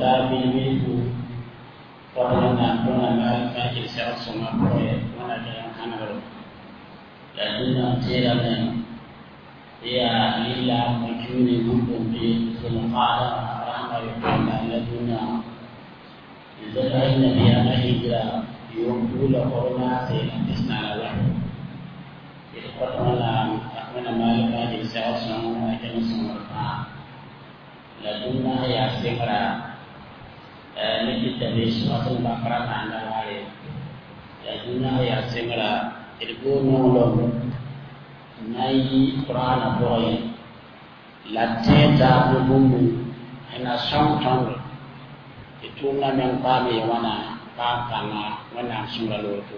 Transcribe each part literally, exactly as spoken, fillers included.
ta bilbilfu fotna tona mal fajir sa soma poe wana da hanaro la dunna tera men ya lilla majuni mun bi zulqa'da rahma yuqama la dunna zalla nabi ya hijra yom dula corona sai na tisna la wa fotna wana mal fajir sa soma ajal soma la dunna ya semra niki tabe suratul baqara anda wale la dunna ya semra irgo no nay qur'ana boy la teta bumbu ena song tong e tunga men pame wana pa kanga wana sura lo to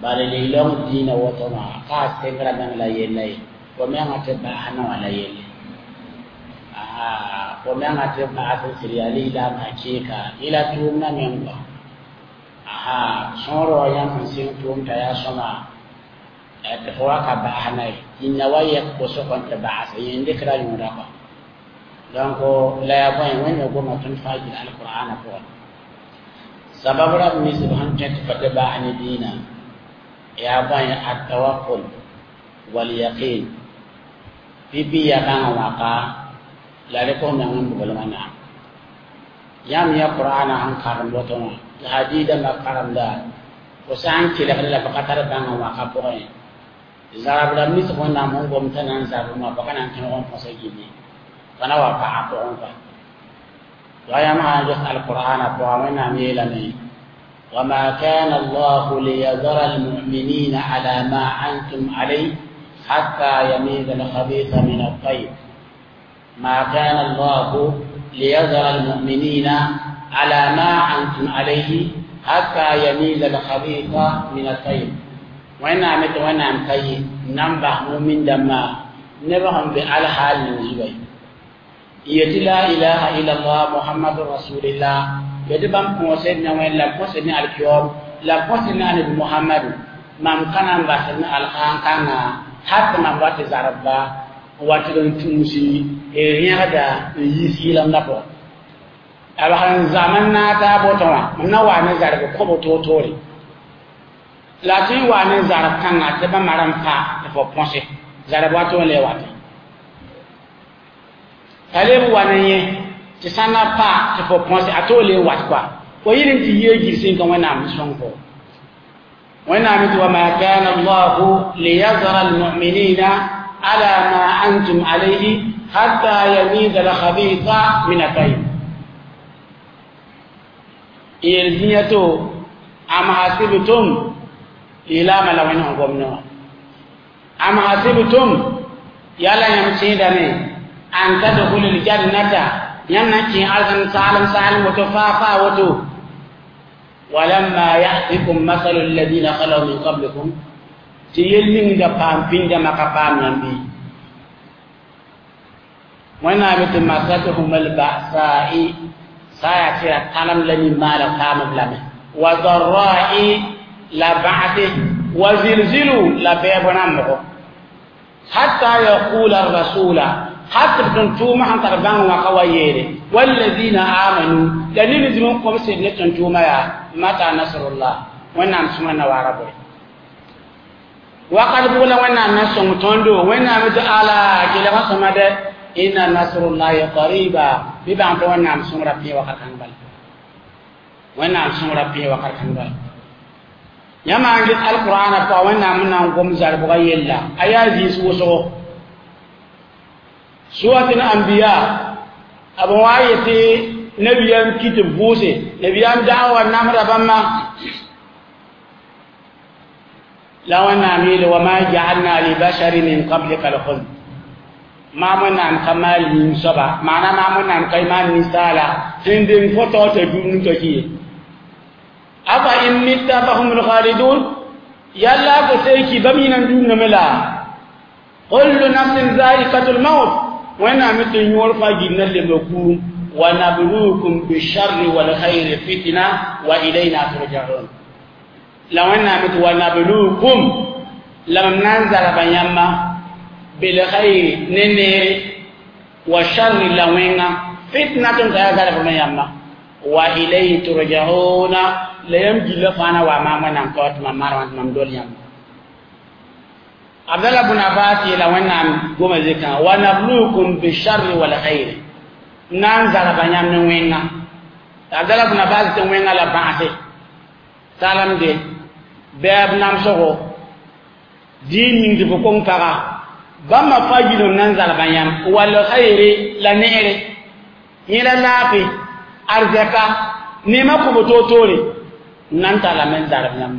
bale le long dina woto ma ka semra men la yelay ko men ate ba hana wala yele aha ko men ate ba ate siriyali la ma keka ila tunga men ba aha soro yam sin tum ta ya soma te fo ka ba hana inna waya ko so kon ta ba sa yende kra yura ko donc la ya boy wen go ma tun faji alquran ko sabab rab ni subhan ta fa ta ba hani dina ya boy at tawakkul wal yaqin bibi ya kan waka la re ko nan bu mana yam ya qur'ana han karam boto hadida ma karam da ko san ki la la bakatar ban waka ko zarab la mis ko na mon gom tanan zarab ma bakana tan on ko gini kana wa pa ko on pa wa ya ma ja alquran ko amana mi la ni wa ma kana allah liyadhara almu'minina ala ma antum alayhi hatta yamiza alkhabitha min at-tayyib ma kana allah liyadhara almu'minina ala ma antum alayhi hatta yamiza alkhabitha min at-tayyib wẽnnaam tɩ wẽnnaam ka yɩ nan bas mumin dãmbã nebã sẽn be alhaal ning zuga yetɩ la ilaha illallah muhammadu rasulillah yetɩ bãmb põosd ne wẽnd la põsd ne alkiyoom la põsd ne annabi muhammadu mam ka na n basd ne alsãn-kãngã hal tɩ mam wa tɩ zarbba n wa tɩg n tũusi n rẽgda n yis yɩlemdã pʋgẽ b sẽn zam n naag taab woto wã mam na wa ne zarb kõbo toor-toore la tɩ wa ne zarb kãngã tɩ bãmba rãmb pa tɩ fo põse zarb wato n le wate t'a leb wa ne yẽ tɩ sã na pa tɩ fo põse a toog le wat koa fo yɩl n tɩ yee girsẽ ka wẽnnaam sõng fo wẽnnaam tɩ wa ma kana allahu liyazara almuminina ala ma antum alayhi hatta yamiza alkhabitha min atayib yel zĩya to am hasibtum ilama la wẽn sẽn gom ne wã am hasibtum yala yãmb sẽedame an tadkhulu ljannata yãmb na n kẽ arzãn saalem saalem woto faa faa woto walamma yatikum masalu alladina khalaw min qablikum tɩ yel ning da paam pĩndãmã ka paam yãmb bɩ wẽnnaam tɩ masatuhum albasai saa yaa tɩ ya tãlem la nin-maala paamb lame wa darra'i la ba'se وزلزلوا لا بيبنا مغو حتى يقول الرسول حتى تنتوما عن تربان وقويره والذين آمنوا دليل زمن قوم سيدنا تنتوما يا متى نصر الله ونعم سمعنا وعربه وقد بقول ونعم نصر تندو ونعم تعالى كلا سمد إن نصر الله قريبا ببعض ونعم سمرا في وقت كنبل ونعم سمرا في وقت كنبل yãmb n get alqur'ana pʋga wẽnnaam n na n gom zarbga yella a yaa zĩis wʋsgo surat al-anbiya b wa yetɩ nabiyaam kɩ tɩ vʋʋse nabiyaam da'wa namda bãmba la wẽnnaam yeele wa ma ja'alna li basharin min qablika al-khuld maam wẽnnaam ka maal ning soaba maana maam wẽnnaam ka maan ninsaala sẽn deng fo taoor t'a dũni t'a ki ye afa in mitta fahum lkhalidun yalla ko sey bam yinan dũname la kullu nafsin za'iqatul maut wẽnnaam tɩ yõor fa gilna lemba kuum wa nabluukum bisharri walkhayri fitna wa ilayna turja'un la wẽnnaam tɩ wa nabluukum la mam na n zarba yãmba bilkhayri ne neere wa sharri la wẽnga fitnatun ta ya zarb yãmba wa ilayhi turja'una la yãmb gilla fãa na wa maam wẽnnaam taoor tɩ mam marwã tɩ mam dol yãmb Abdallah ibn Abbas yeela wẽnnaam goma zikã wa nabluukum bisharri wal khayri na n zarba yãmb ne wẽnga Abdallah ibn Abbas tɩ wẽnga la bãase salamde bɛɛb namsgo dĩin ning tɩ fo kong paga bãmba fãa yilem na n zarba yãmb wal khayri la neere yẽ la laafɩ arzɛka neemã kʋ toor-toore n na n tallame n zarb yãmb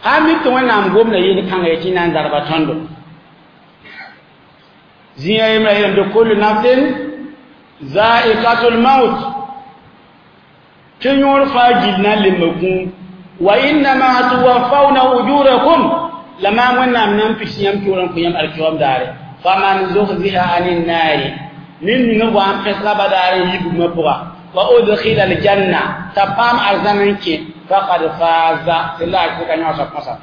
sã n mik tɩ wẽnnaam gomda yel-kãnga ye tɩ na n zarba tõndo zĩiga yembra yeelame tɩ kullu nafsin zaikatul maut tɩ yõor fãa gill na n lemba kũum wa innama tuwaffawna ujurakum la maam wẽnnaam na n pigs yãmb toor n kõ yãmb alkiyoom daare faman zuhziha anin naari ned ninga wa n pẽsga badaar n yi bugmã pʋga wa udkhila aljanna t'a paam arzãn n kẽ faqad faaza tɩ la a ka yõosa põsa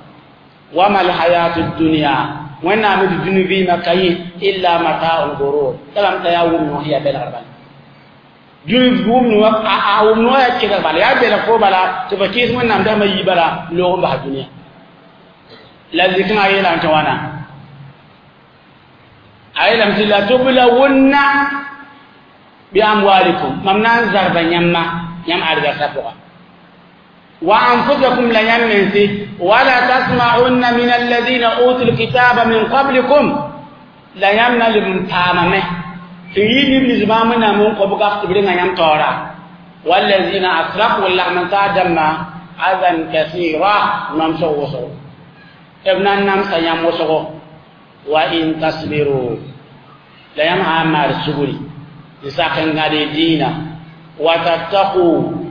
wama alhayatu dunya wẽnnaam d dũni vɩɩmã ka yẽ illa mataul gurur t'a lame t'a yaa wʋm noos yaa belgr bala dũni wʋm a wʋm noos yaa kɩsg bala yaa belg fo bala tɩ fa kɩɩs wẽnnaam dãmbã yi bala loog n bas dũniyã la zikẽngã yeelame tɩ wãna a yeelame tɩ la tublawunna bi amwalikum mam na n zarba yãmba yãmb arzɛrsã pʋga wa anfusakum la yãmb mense wala tasma'unna min alladhina utul kitaba min qablikum la yãmb na leb n paamame tɩ yɩ neb nins bãmb wẽnnaam n kõ b gaf tɩ b renga yãmb taoora walladhina asraku lagm n taa dãmbã adan kasira namsg wʋsgo b na n namsa yãmb wʋsgo wa in tasbiru la yãmb sã n maar sugri n sak n gãd y dĩinã wa tattaqu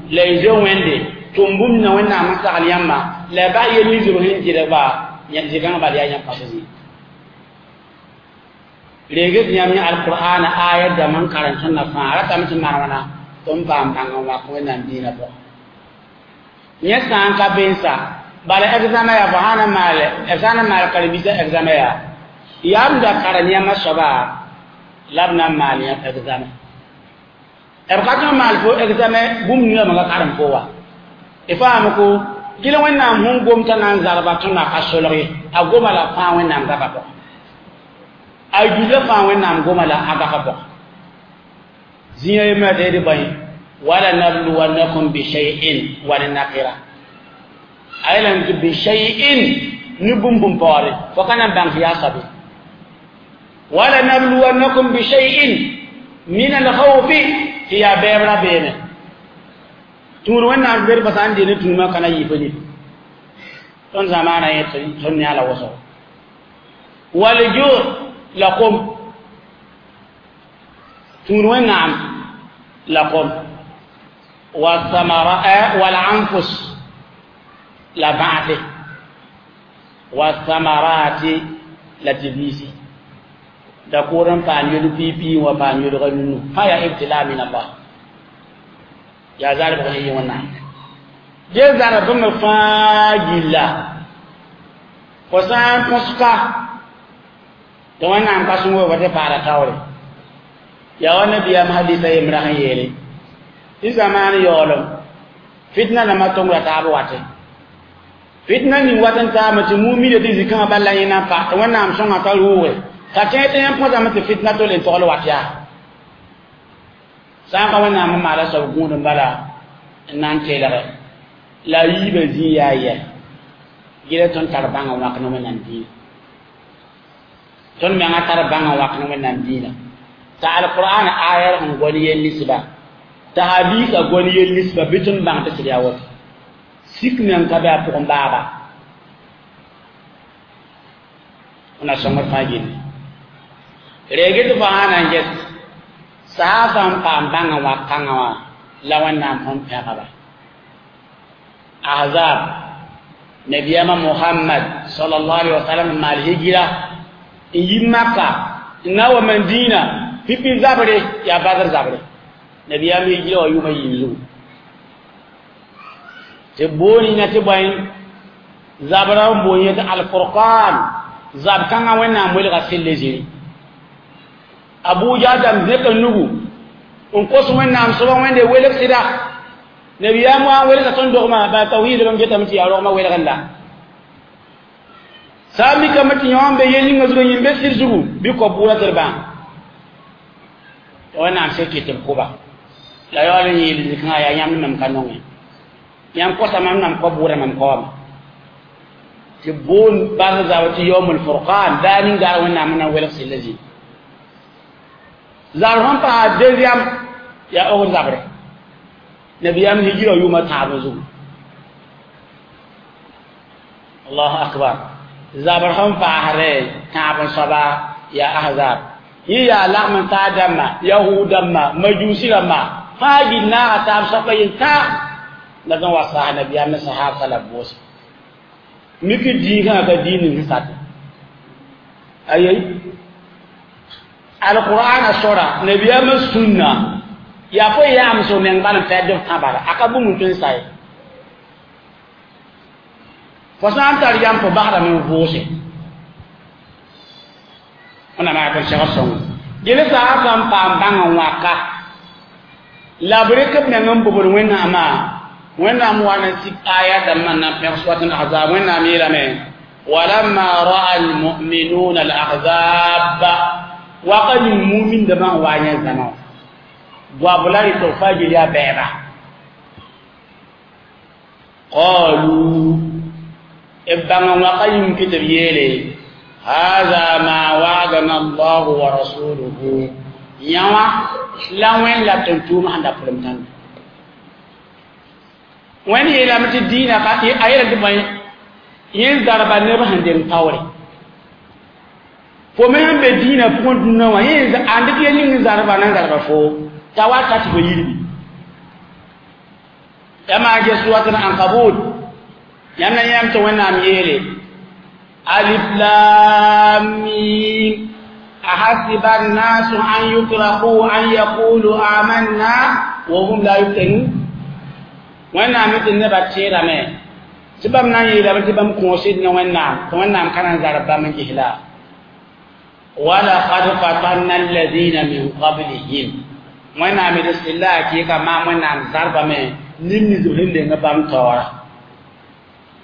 la y zoe wẽnde tʋm bũmb na wẽnnaam n sagl yãmba la y bas yel nins b sẽn dɩdba zɩgãng bal yaa yãmb pasẽ zĩig reeg tɩ yãmb yã alqur'ana aya dãmb n karen tõndã fãa ratame tɩ maan wãna tɩ n paam bãng n wak wẽnnaam dĩinã pʋgã yẽ sã n ka bensa bala examen yaa fo sã na maal b sã n maal karen-biisã examen yaa yaa b da karen yãmba soaba la b na n maal yãmb examen b ka tɩ n maal fo examen bũmb ninga me ka karem fo wa y faam ko gɩl wẽnnaam sẽn gom t'a na n zarba tõndã ka solg ye a goma la fãa wẽnnaam gapa pʋgã a gilla fãa wẽnnaam goma la a gapa pʋgã zĩiga yembra tɩ d bõe wala nabluwannakum bishay'in wa ne nakira a yeelame tɩ bishay'in ne bũmb bũmb paoore fo ka na n bãng tɩ yaa soabe wala nabluwannakum bishay'in min alkhawfi tɩ yaa bɛɛb rabeeme tũud wẽnnaam bed pa sã n dee ne tũumã ka na yɩ fo nif tõnd zamaana yẽ tõnd yã la wʋsgo walju la kom tũud wẽnnaam la kom wasamara walanfus la bãase wasamarati la tɩ biisi dakʋʋr n paam yel piipi wã paam yelga nunu fãa yaa ibtila min allah yaa zarbg sẽn yɩ wẽnnaam dee zarb bãmb fãa gilla fo sã n põska tɩ wẽnnaam ka sõngo fa tɩ paada taoore yaa wa nabiyaam hadisa yembra sẽn yeele tɩ zamaan yaoolem fitna dãmbã tongra taab wate fitna ning wat n taame tɩ mumida tɩ zĩ-kãngã bal la yẽ na n pa tɩ wẽnnaam sõnga ka rʋʋge t'a tẽeg tɩ yãmb põsame tɩ fitna tole n togl wat yaa sã n ka wẽnnaam n maala soab gũud n bala n na n teelge la a yiibã zĩig yaa yɛ gɩla tõnd tar bãng n wãk ne wẽnnaam dĩinã tõnd menga tar bãng n wãk ne wẽnnaam dĩinã t'a alqur'an ayar sẽn gõn yel nisba t'a hadisa gõn yel nisba bɩ tõnd bãng tɩ sɩd yaa woto sik meng ka be a pʋgẽ baaba na sõngd fãa gilli reeg tɩ fo sã na n ges saasã n paam bãng n wak kãngã wã la wẽnnaam sẽn pẽgba ahzab nabiyama muhammad sallallahu alaihi wasallam n maal hijira n yi maka n na wa madina pipi zabre yaa badr zabre nabiyam hijira wa yʋʋmã yiib zugu tɩ booni na tɩ bõe zabra n boon yẽ tɩ alfurqan zab kãngã wẽnnaam welga sɩlle zĩri Abuja dam zẽk n nugu n kos wẽnnaam soaba wẽnde welg sɩda nabiyaam wa n welga tõnd dogmã baa tawhiid bãmb getame tɩ yaa rogmã welgẽ la sã n mikame tɩ yõ n be yel yĩngã zugu yĩm be sɩd zugu bɩ kao bʋʋda tɩ d bãng tɩ wẽnnaam sẽn kɩt tɩ b kʋba la yaool n yeel zikãngã yaa yãmb ne mam ka nongẽ yãmb kosa mam nam kao bʋʋda mam kaoame tɩ boon bas zabr tɩ yaoomul furqan daa ning daar wẽnnaam na n welg sɩlla zĩig zabr sẽn paa deuxième yaa Ohd zabre nabiyaam hijira yʋʋmã tãab zugu allahu akbar zabr sẽn paasre tãab n soaba yaa ahzab yẽ yaa lagm n taa dãmba yahud dãmba majusi rãmba fãa gil naaga taab soapa yel-tã la b wa saas nabiyaam ne sahaabsa la b vʋʋse mik diigã ka diin ning sẽn sate ayei alqur'ana sora nabiyaamã sũnna yaa fo yaam so meng bal n fɛd b tã bala a ka bũmb n tõe n sa ye fo sã n tar yam fo basdame n vʋʋse wẽnnaam yaa tõnd segd sõngo gele saasã n paam bãng n wãka la b rɩk b meng n bobd wẽnnaamã wẽnnaam wa n sik aya dãmbã n na n pẽg suat n ahzab wẽnnaam yeelame walamma ra'a almu'minuna alahzab waka ning mumindamã n wa yẽ zãma wã goab la rɩ tɩ b fãa gil yaa bɛɛba qalu b bãng n waka yĩng tɩ b yeele hada ma wa'adana allahu wa rasuluhu yãwã la wẽnd la tʋm-tʋʋm sẽn da pʋlem tãnda wẽnd yeelame tɩ dĩinã a yeela tɩ bõe yẽ zarba neb sẽn deng taoore fo me sẽn be dĩinã pʋgẽ dũnã wã yẽ ãn dɩk yel ning zarba na n zarba fo t'a wa ta tɩ fo yirbi ya maa ges surat al-ankabut yãmb na yãmb tɩ wẽnnaam yeele alif lam mim ahasiba annasu an yutraku an yaqulu amanna wa hum la yuftanun wẽnnaam tɩ nebã tẽedame tɩ bãmb na n yeelame tɩ bãmb kõosd ne wẽnnaam tɩ wẽnnaam ka na n zarb bãmb n gesla walaqad fatanna alladina min qablihim wẽnnaam d sɩlla a kɩɩka maam wẽnnaam zarbame nim nins b sẽn lenga bãmb taoora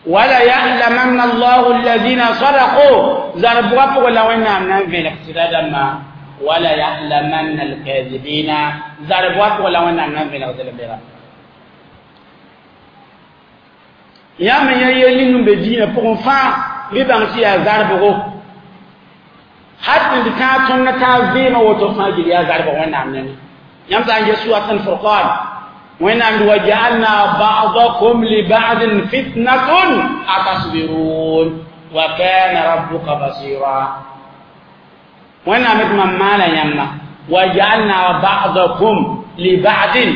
wala ya'lamanna allahu alladina sadaqu zarbʋgã pʋgẽ la wẽnnaam na n vẽlg sɩda dãmbã wala ya'lamanna alkazibina zarbʋgã pʋgẽ la wẽnnaam na n vẽlg zelmbera yãmb yã yel ning n be dĩinã pʋgẽ fãa bɩ bãng tɩ yaa zarbgo hat d tãag tõnd taab vɩɩmã woto fãa gil yaa zarbg wẽnnaam nengẽ yãmb sã n ges surat al-furqan wẽnnaam wa ja'alna ba'dakum li ba'din fitnatun atasbirun wa kana rabbuka basira wẽnnaam tɩ mam maana yãmba wa ja'alna ba'dakum li ba'din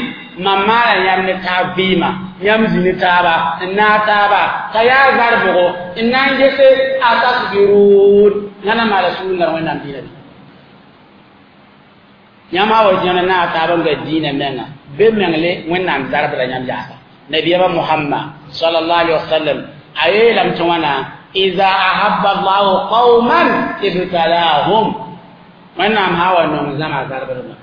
mam maana yãmb ne taab vɩɩmã yãmb zĩ ne taaba n naag taaba t'a yaa zarbgo n na n gese atasbirun yãna maala sũur nar wẽnnaam dĩinã bɩ yãmb a wa yãna naag taab n ga dĩinã menga be mengle wẽnnaam zarbda yãmb yaasa nabiyama muhammad sallallahu alaihi wasallam a yeelame tɩ wãna ida ahabba allahu qauman ibtalahum wẽnnaam sã wa nong zãma zarbdma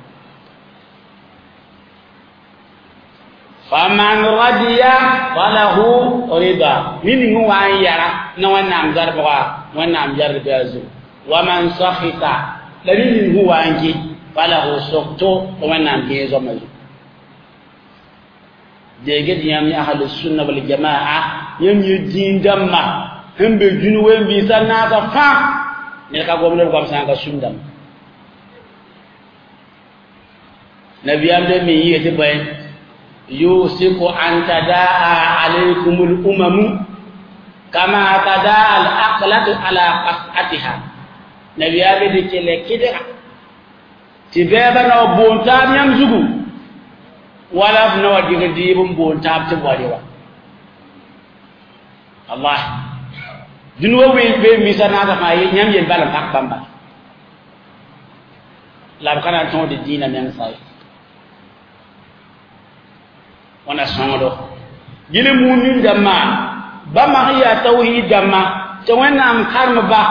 faman radiya falahu rida ned ning wa n yara ne wẽnnaam zarbga wẽnnaam yard bɩ a zugu waman sakhita la ned ning sẽn wa n kɩ falahu sokto tɩ wẽnnaam gẽe zoama zugu deegd yãmb ahlu sunna wal jamaa yãmb yẽ dĩin dãmbã sẽn be dũni wen-biisã naasã fãa ned ka gomd b goam sã n ka sũm dãmba nabiyaam de me yɩɩ tɩ bõe yusiku an tadaa alaykum al-umamu kama tadaa al-aqlatu ala qas'atiha nabiyaam de kele kɩdga tɩ bɛɛbã na wa boon taab yãmb zugu wala b na wa dɩg dɩɩb n boon taab tɩ b wa re wa allah dũni wa ween-biisã naasã fãa yãmb yel bal n pak bãmba la b ka na n tõod dĩinã meng sa ye wãna sõngdo gil mumin dãmbã bãmba sẽn yaa tawhiid dãmbã tɩ wẽnnaam karem-ba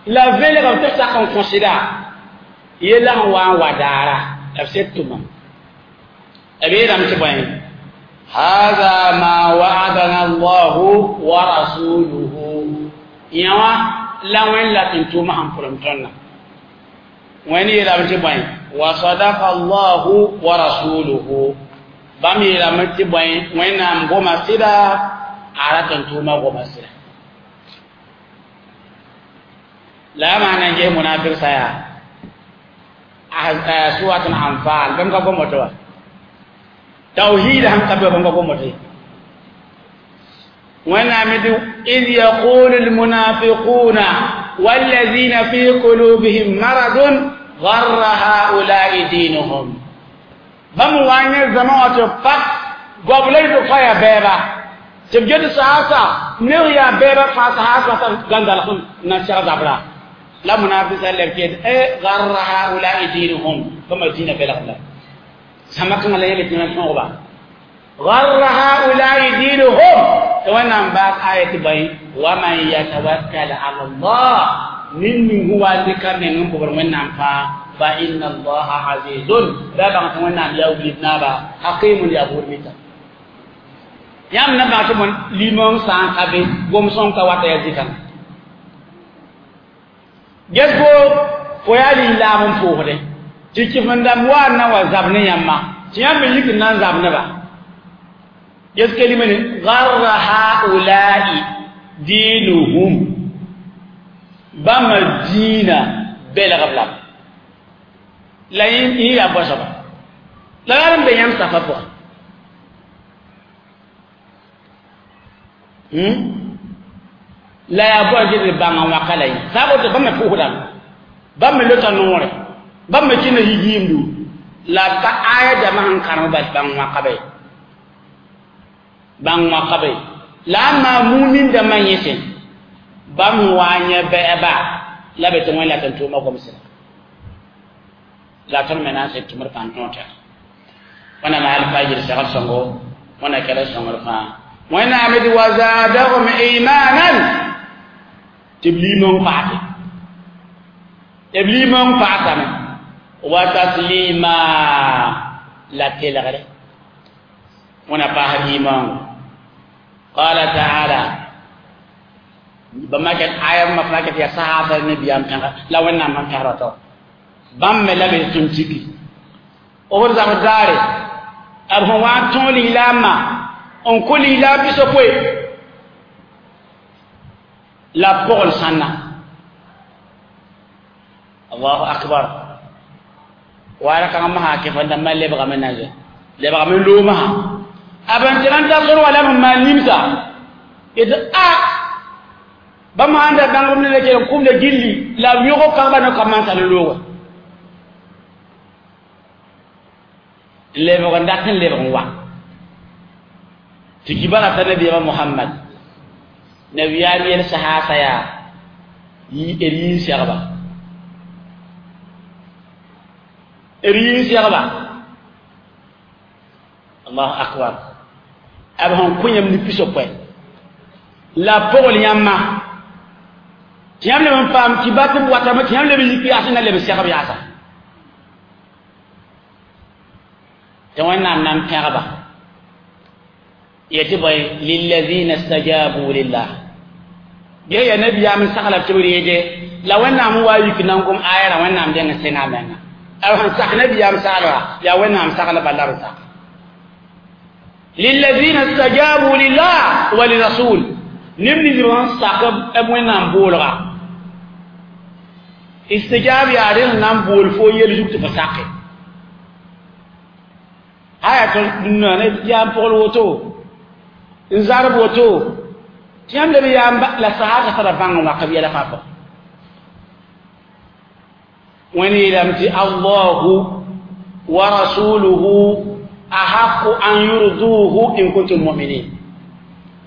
la velgb tɩ sak n kõsda yella sẽn wa n wa daara b sed tʋmam b yeelame tɩ bõe هذا ما وعدنا الله ورسوله yã la wẽn la tɩ tʋʋmã sẽn pʋlem tõndã wẽnd yeelame tɩ bõe wa sadaka allahu wa rasuluhu bãmb yeelame tɩ bõe wẽnnaam goma sɩda a rat n tʋʋmã goma sɩda la a maan n ges munafik sã yaa surat al-anfal bãmb ka gom woto wa tawhid sẽn ka be bãmb ka gom woto ye wẽnnaam tɩ id yaqulu almunafiquna والذين في قلوبهم مرض غر هؤلاء دينهم bãmb wa n yẽ zãma wã tɩ pak goab la tɩ fa yaa bɛɛba tɩ b get saasa neb yaa bɛɛba fãa saas wã gãndalg n na seg zabra la munafisa leb ket e garra haulai dinuhum bãmba dĩinã belgb la zãma kãngã la yẽle tɩ yãmb tõogba garra haulai dinuhum tɩ wẽnnaam baas aya tɩ bõe waman yatawakkal ala allah nin ning sẽn wa n dɩka meng n bobr wẽnnaam fãa fa inna allaha azizun la bãng tɩ wẽnnaam yaa wilg naaba hakimun yaa buud mita yãmb na bãng tɩ bõn limong sã n ka be gom-sõng ka wata yaa zikãngã ges-fo fo yaa lislaam n pʋʋsdẽ tɩ kɩf-n-dãmb wa n na wa zab ne yãmba tɩ yãmb me yik n na n zab ne-ba ges kelime ne garra haulai diinuhum bãmba diinã belgb lame la yẽ yaa bõe-soaba la yaa n be yãmb safã pʋgẽ la yaa bõe tɩ d bãng n waka la yẽ sã n woto bãmb me pʋʋsdame bãmb me lota noore bãmb me kẽnda yigiimdu la b ka aya dãmbã sẽn kãrem bal bãng wãka be bãng wãka be la a maa mumin dãmbã yẽsẽ bãmb sẽn wa n yẽ bɛɛba la be tɩ wẽn la tɩ n tʋʋmã gomsda la tõnd me na n sed tʋmd pãn tõog tɛg wẽnnaam alfajir segl sõngo wẽnna kɛlg sõngr fãa wẽnnaam d wa zaadahum imanan tɩ b liimong paase b liimong paasame wa taslima la telgre wẽna paasd imaango qala taala bãmb ket aya ma fãa ket yaa sahaasa nabiyaam pẽga la wẽnnaam sẽn pẽgra tao bãmb me la be tõnd tiki b zabd daare b sẽn wa n tõog lislaambã n kõ lislaam pisopoe la b pogl sãnna allahu akbar waara kãngã masã kẽf-n-dãmbã lebgame na ze lebgame loomsã a b n tɩg n ta sor wa la b sẽn maan nimsa yetɩ a bãmb sãn da bãng b ne la kell n kʋmda gilli la b yõg kãngba ne ka mansã ne looga lebg n dat n lebg n wa tɩ kibara t'a nabiyaamã Mohamad nabiyaam yel sahaasa yaa d yĩn segba d yĩn segba allahu akbar b sẽn kõ yãmb ne pisopoe la pogl yãmba tɩ yãmb leb n paam tɩ ba tɩ b watame tɩ yãmb leb n yik yaas n na leb n segb yaasa tɩ wẽnnaam na n pẽgba yetɩ bõe lillazina stajabu lillah ge ya nabiyaam n sagla tɩ b reege la wẽnnaam n wa yik na n gom ayara wẽnnaam dẽng n sẽnga a menga b sẽn sak nabiyaam saglba yaa wẽnnaam saglba la b sak lillazina stajabu lillah wa lirasul neb nins sẽn sak b wẽnnaam boolga istijab yaa rẽ sẽn na n bool fo yel zug tɩ fo sake aya tɩ ne yaam pogl woto n zarb woto tɩ yãmb leb yaam la sahaga tara bãng n wak b yɛla fãa pʋgẽ wẽnd yeelame tɩ allahu wa rasuluhu ahaqu an yurduhu in kuntum muminin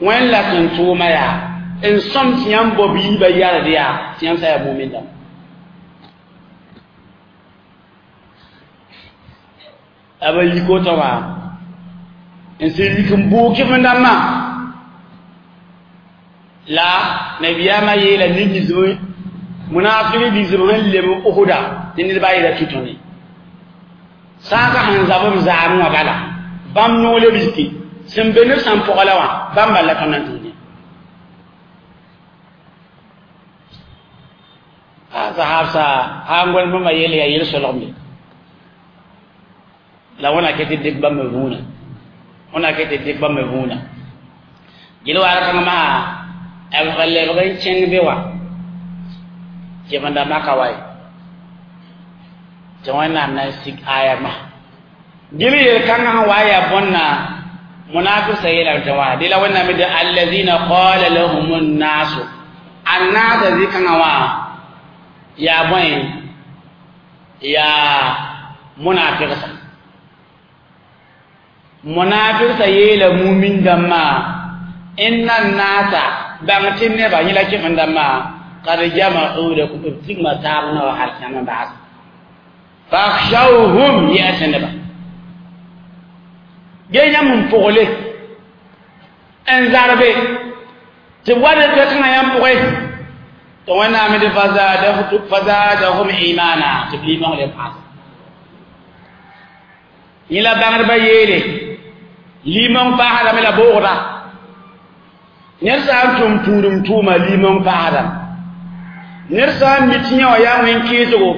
wẽnd la tɩ n tʋʋma yaa n sõm tɩ yãmb bao biibã yard yaa tɩ yãmb sã yaa mumin dãmb b yik woto wã n sẽn yik n buug kɩf-n-dãmbã la nabiyaamã yeela neb nins munafik nins sẽn lem Uhuda tɩ ne ned baa yeela tɩ tõne sã n ka sẽn zab b zaam wã bala bãmb noog leb yike sẽn be neb sãn pʋga la wã bãmb bal la tõnd na n tũudẽ a sahabsa sã n gõl bãmba yell yaa yel-solgme la wẽna ket tɩ dɩk bãmb vũuna wẽna ket tɩ dɩk bãmb vũuna gil waar kãng maa b lebg n kẽng be wã kemenda maka wa ye tɩ wẽnnaam na n sig aya ma gil yel-kãngã sẽn wa yaa bõnna munafik sa yeelame tɩ wã dɩ la wẽnnaam de alladina qala lahum nnasu annaasa zĩ-kãngã wã yaa bõe yaa munafiqsa munafiqsa yeela mumin dãmbã inna nnaasa bãng tɩ nebã yẽ la kẽfn dãmbã kad jama'u lakum b tigma taab na wa hal yãmb n baas fakhshawhum yɛs neba ge yãmb n pʋgle n zarbe tɩ b wa d kãngã yãmb pʋgẽ tɩ wẽnnaam tɩ fazadahum imana tɩ b liimong le paas yẽ la bãngdbã yeele liimong paasdame la boogda ned sã n tʋm tũudum tʋʋma liimong paasdame ned sã n mi tɩ yã wã yaa wẽn-kɩɩsgo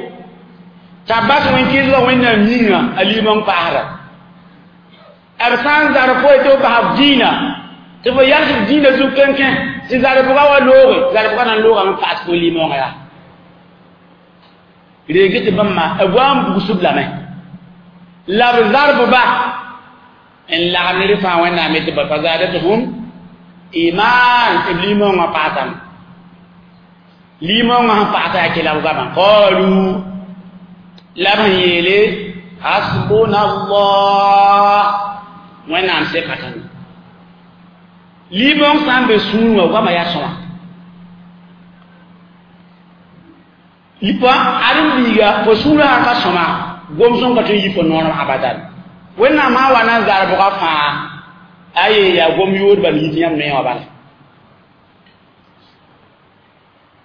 t'a bas wẽn-kɩɩsgã wẽnnaam yĩnga a liimong paasda b sã n zar fo tɩ b bas b dĩinã tɩ fo yals b dĩinã zug kẽnkẽ tɩ zarbʋga wa looge zarbʋga na n loogame paas fo liimongã yaa reeg tɩ bãmba b wa n bugsb lame la b zarbba n lagm ned fãa wẽnnaam tɩ ba fazadathum iman b liimongã paasame liimongã sẽn paasa yaa kela b goamã qalu la b sẽn yeele hasbuna allah wẽnnaam seka tõndo liimong sã n be sũur wã goamã yaa sõma ãdem-biiga fo sũurã sã ka sõma gom-sõm ka tõe n yi fo noorem abadan wẽnnaam sã n wa na n zarbgã fãa a yee yaa gom yood bal yit yãmb noe wã bala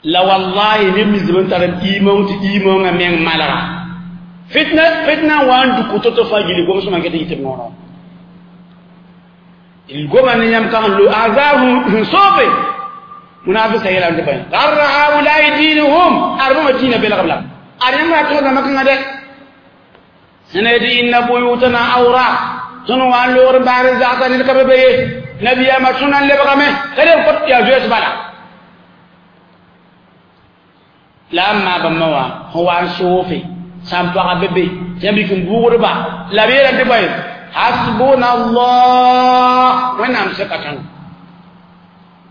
la wallahi neb nins b n tar iimong tɩ iimongã meng malga fitna fitna n wa n duk to-to fãa gilli gom-sõma n ket n yit b noorẽ goma ne yãmb ka sẽn lo azab sẽn soobe munafik sa yeelame tɩ bõe garra haulai diinuhum ad bãmba dĩinã belgb lame ad yãmb ra tõodame kãngã dɛ sẽn tɩ inna buyutana awra tõnd wa n loogd n baar n zagsa ned ka be be ye nabiyaamã tõnd n lebgame ka leb kot yaa zoees bala la n maa bãmba wã sẽn wa n soofe sã n pagã be be tɩ yãmb yik n buugdba la b yeelame tɩ bõe hasbuna allah wẽnnaam seka tõndo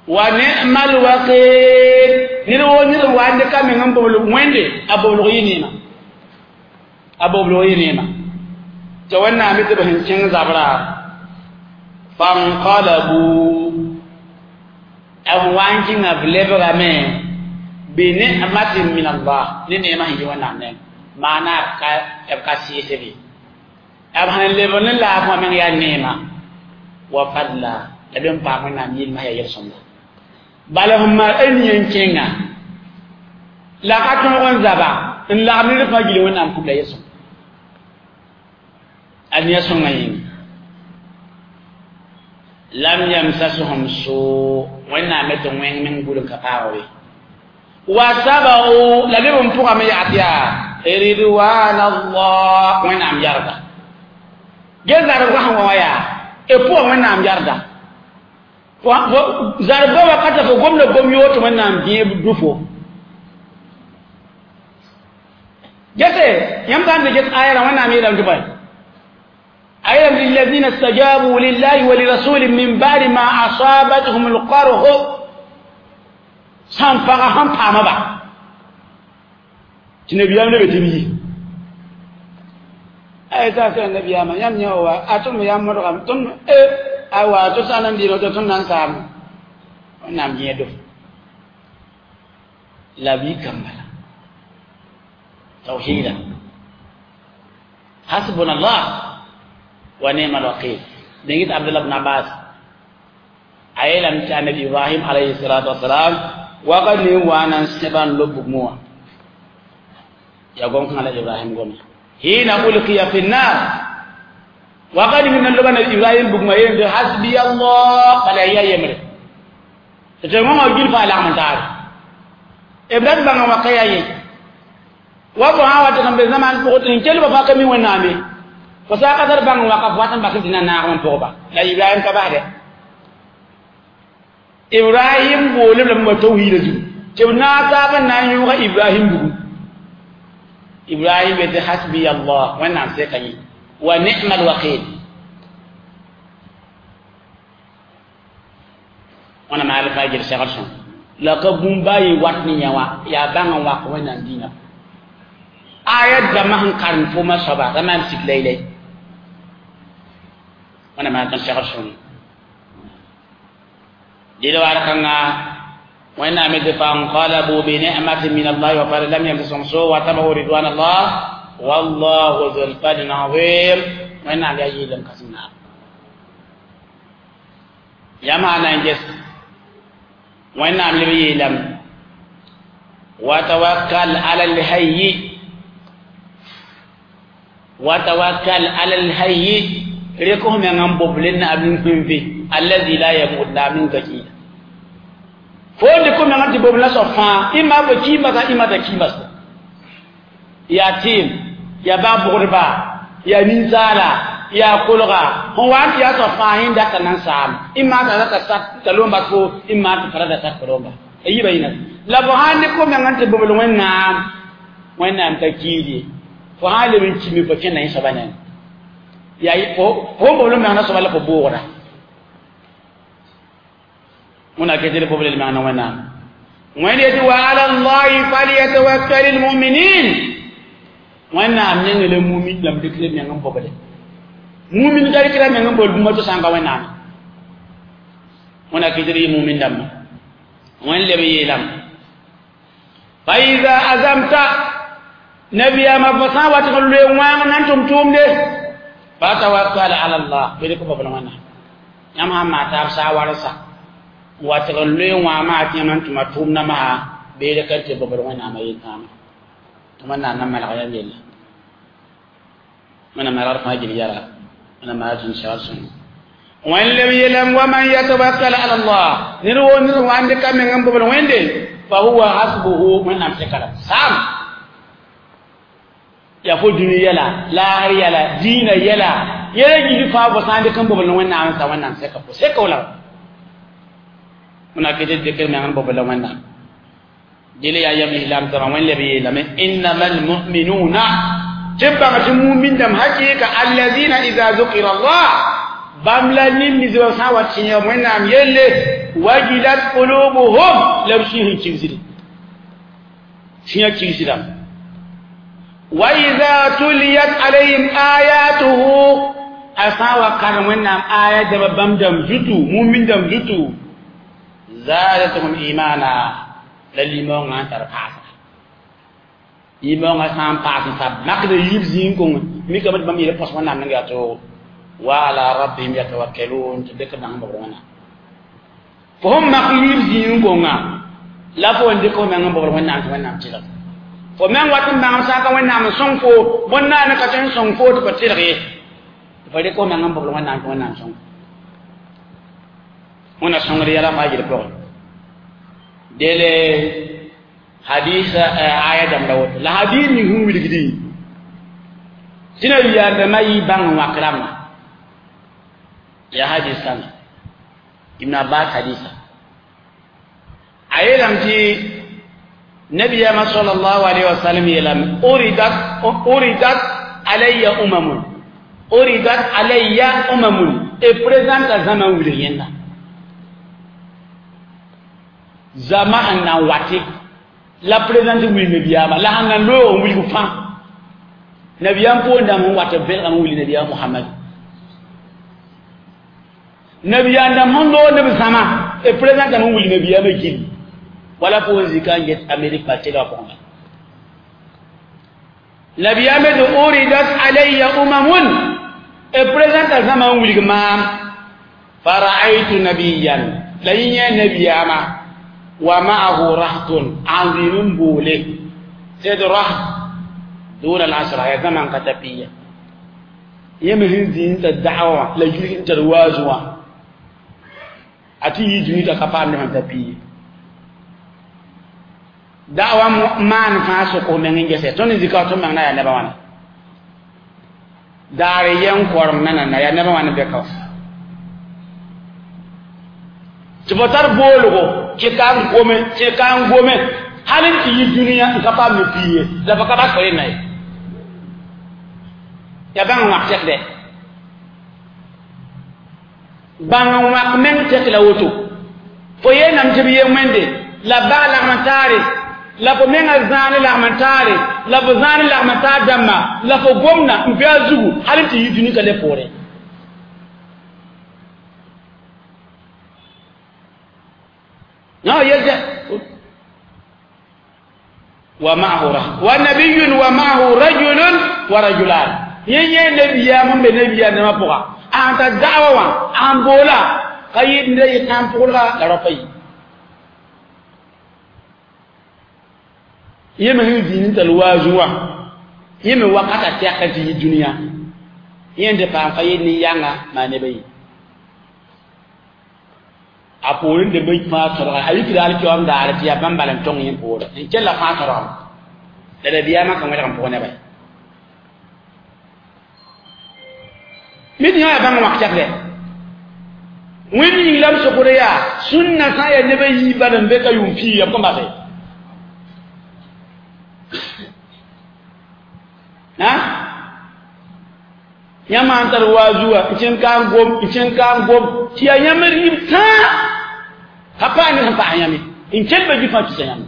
wa ni'mal wakil ned woo ned n wa n dɩka meng n boblg wẽnde a boblg yɩ neema a boblg yɩ neema tɩ wẽnnaam tɩ b sẽn kẽng zabra fanqalabu b wa n kẽnga b lebgame bi ni'matin min allah ne neema sẽn yi wẽnnaam neng maana b ka sɩɩsbe b sẽn lebg ne laafã meng yaa neema wa fadla la b n paam wẽnnaam yɩlmã yaa yel-sõmda bala sẽn maan a ning n kẽnga la ka tõog n zaba n lagm ned fãa gil wẽnnaam kub la yel-sõm ad yaa sõngã yĩnga lam yamsashum suu wẽnnaam tɩ wẽng meng bul n ka paag be wa sabau la leb n pʋgame yaa tɩ yaa ridwan allah wẽnnaam yarda ge zarbgã sẽn wa wã yaa b pʋga wẽnnaam yarda zarbga wakata fo gomda gom yoor tɩ wẽnnaam dẽeb dʋ-fo gese yãmb sã n tɩ ges aya rã wẽnnaam yeelame tɩ bõe أيضا للذين استجابوا لله ولرسول من بعد ما أصابتهم القرح سان فغا هم پاما با تنبيام نبي تبي أي تاسع النبي ما يم يوا أتم يم مرغم تم إيه أوا تسانا دينو تتم نانسام نعم يدو لا بي كمبلا توحيدا حسبنا الله ونعم الوكيل دنجت عبد الله بن عباس أيلم النبي إبراهيم عليه الصلاة والسلام وقد وانا سبان لبك موا Ya gom kãngã la Ibrahim goma hina ulqiya fi nnar wakat ning nan loba na Ibrahim bugma yem de hasbi Allah bala ya yemre tɩ wãngã gil fa lagm n taare Ibrahim bãnga waka yaa ye wa fo sã wa tɩ sẽn be zãmaan pʋgẽ tɩ n kelba fãa ka mi Wẽnnaam ye fo sã ka tar bãng waka fo wat n bas tɩ na naag n pʋgba la Ibrahim ka basdɛ Ibrahim boolem lame wa tawhiida zugu tɩ b naag taab n na n yõoga Ibrahim bugu Ibrahim yetɩ hasbi Allah Wẽnnaam seka yẽ wa ni'mal wakil wãna maal fa gel segl sõm la ka bũmb baa yẽ wat ne yã wã yaa bãng n wak Wẽnnaam dĩinã aya dãmbã sẽn karem foma soaba ra maan sik laylay wãna maan tõnd segl sõm dɩl war kãnga Wẽnnaam yetɩ fanqalabu binicmatin min allahi wa fadl lam yamsashum suu wa tabahu ridwan allah wallahu dhul fadlin azim Wẽnnaam yaa yɩɩlem kãsem naab yãmb na n ges Wẽnnaam leb yeelame wa tawakkal ala alhayyi wa tawakkal ala alhayyi rek f meng n bob le naab nin-kũnfe allazi la yamut la min ka kiida fo n dɩk f meng tɩ bob la soab fãa ɩma fo kiimasa ɩma t'a kiimasa yaa tɩɩm yaa bag-bʋgdba yaa ninsaala yaa kolga sẽn wa n tɩ yaa soab fãa yẽn data nan saam ɩma t'a rata sat t'a loom bas fo ɩma tɩ pa rata sat fo loomba a yiibã yĩna la fo sãn dɩk f meng n tɩ bobl Wẽnnaam Wẽnnaam ka kiid ye fo sãn leb n kime fo kẽnda yẽ soabã neng yaa fo fo bobl meng na soaba la fo boogda wẽna ket d bobl meng na Wẽnnaam Wẽnd yetɩ wa ala llahi falyatawakkal lmuminin Wẽnnaam nengẽ la mumin dãmb dɩk la meng n boble mumin ka rɩkra meng n bol bũmba tɩ sã n ka Wẽnnaam wẽna kɩtd yɩ mumin dãmba Wẽnd leb yeelame fa ida azamta nabiyaamã fo sã n wat n loe wãang na n tʋm tʋʋmde fatawakkal ala llah bɩ dɩk bobl Wẽnnaam yãmb sãn maa taab saa warsa n wat n loe wãag maa tɩ yãmb n tʋma tʋʋmdã maa bee rek n tɩ bobl Wẽnnaamã yel-kãama tɩ Wẽnnaam na malg yãmb yella wẽnnaam malgd fãa gil yara wẽnnaam malg tũud segl sõngo wẽnd leb yeelame wa man yatawakkal ala llah ned woo ned wa n dɩka meng n bobl Wẽnde fa huwa hasbuhu Wẽnnaam seka la saam yaa fo dũni yɛla laasr yɛla dĩinã yɛla yɛla gil fãa fo sã n dɩk n bobl Wẽnnaam n sa Wẽnnaam seka fo seka wala wẽna ket d dɩk meng n bobl Wẽnnaam dɩl yaa yam islam zama Wẽnd leb yeelame innama almuminuna tɩ b bãng tɩ mumin dãmb hakɩɩka allazina ida zukira allah bãmb la nin-nisbã sã n wa tẽeg Wẽnnaam yelle wajilat qulubuhum la b sũy sẽn kigsde sũyã kigsdame wa ida tuliyat alayhim ayatuhu a sã n wa karem Wẽnnaam aya dãmba bãmb dãmb zutu mumin dãmb zutu zadatuhum imana la limõngã n tar paasga limõngã sã n paas n sab makd yiib zĩig kõng mikame tɩ bãmb yeela põs Wẽnnaam neng yaa toogo wa ala rabbihim yatawakkalun tɩ dɩk bãng bobr Wẽnnaam fo sẽn mak yiib zĩig kõnga la fo n dɩk f meng n bobr Wẽnnaam tɩ Wẽnnaam tɩlg fo meng wat n bãngem sã n ka Wẽnnaam n sõng fo bõn-naane ka tõe n sõng fo tɩ fo tɩlg ye tɩ fo dɩk f meng n bobr Wẽnnaam tɩ Wẽnnaam sõng wẽnna sõngd yɛla fãa gil pʋgẽ dele hadisa aya dãmb la woto la hadis ning sẽn wilgdĩ tɩ na yaadãmã yɩ bãng n wãk rãmbã yaa hadis kãnga Ibn Abbas hadisa a yeelame tɩ nabiyama sallallahu alaihi wasallam yeelame uridat uridat alayya umamun uridat alayya umamun e présente zãma n wilg yẽnda zama sẽn na n wate la présente wilg nabiyaama la sẽn na n loog n wilg fãa nabiyaam poor-dãmb sẽn wat b vẽlgame n wilg nabiyaam Mohamad nabiyaam dãmb sẽn loog ne b zãma e présente n wilg nabiyaamã gilli wala fo n zika n get Amerik pa tɩlga pʋgẽ nabiyaam tɩ uridat alayya umamun e présente zãma n wilg maam faraaytu nabiyan la yẽ yẽ nabiyaamã wa ma'ahu rahtun azim boole sed raht دون العشرة يا زمن كتبية يمهن زين الدعوة لا يجري تروازوا أتي يجري تكفان من تبية دعوة ما نفاسه كم من جسد توني ذكرت من أنا يا نبوانا داري ينقر من أنا يا نبوانا بكاف تبتر بولو كتان قوم كتان قوم هل أنت يجري كفان من بيه لا بكفاس كلنا ya bãng wãk tɛk dɛ bãng n wãk meng tɛk la woto fo yeename tɩ b yee wẽnde la bag lagm n taare la fo menga zãane lagm n taare la fo zãane lagm n taar dãmba la fo gomna n be a zugu hal n tɩ yi dũni ka le poorẽ wa ma'ahu wa nabiyyun wa ma'ahu rajulun wa rajulan yen yen nabiya mun be nabiya ne ma poka an ta da'wa wa an bola kayid ne yi kan pulga la rafai yeme hin dinin talwazuwa yeme wakata ta kan ti duniya yen de pa kayid ni yanga ma ne bai a porin de bai fa tara ayi kira alki am da arti ya bambalan tong yen por en kella fa tara da da biya ma kan wala kan po ne bai min ya bãng wak tɛkdɛ wẽnd yĩng la b sokd yaa sũnna sã n yaa neb a yiibã n be ka yʋʋm pii ya b kõn base yãmb sãn tar waazuwa n kẽn ka n gom n kẽn ka n gom tɩ yaa yãmb rɩɩb tãa ka paam ned sẽn paas yãmb ye n kell ba gifã tusa yãmb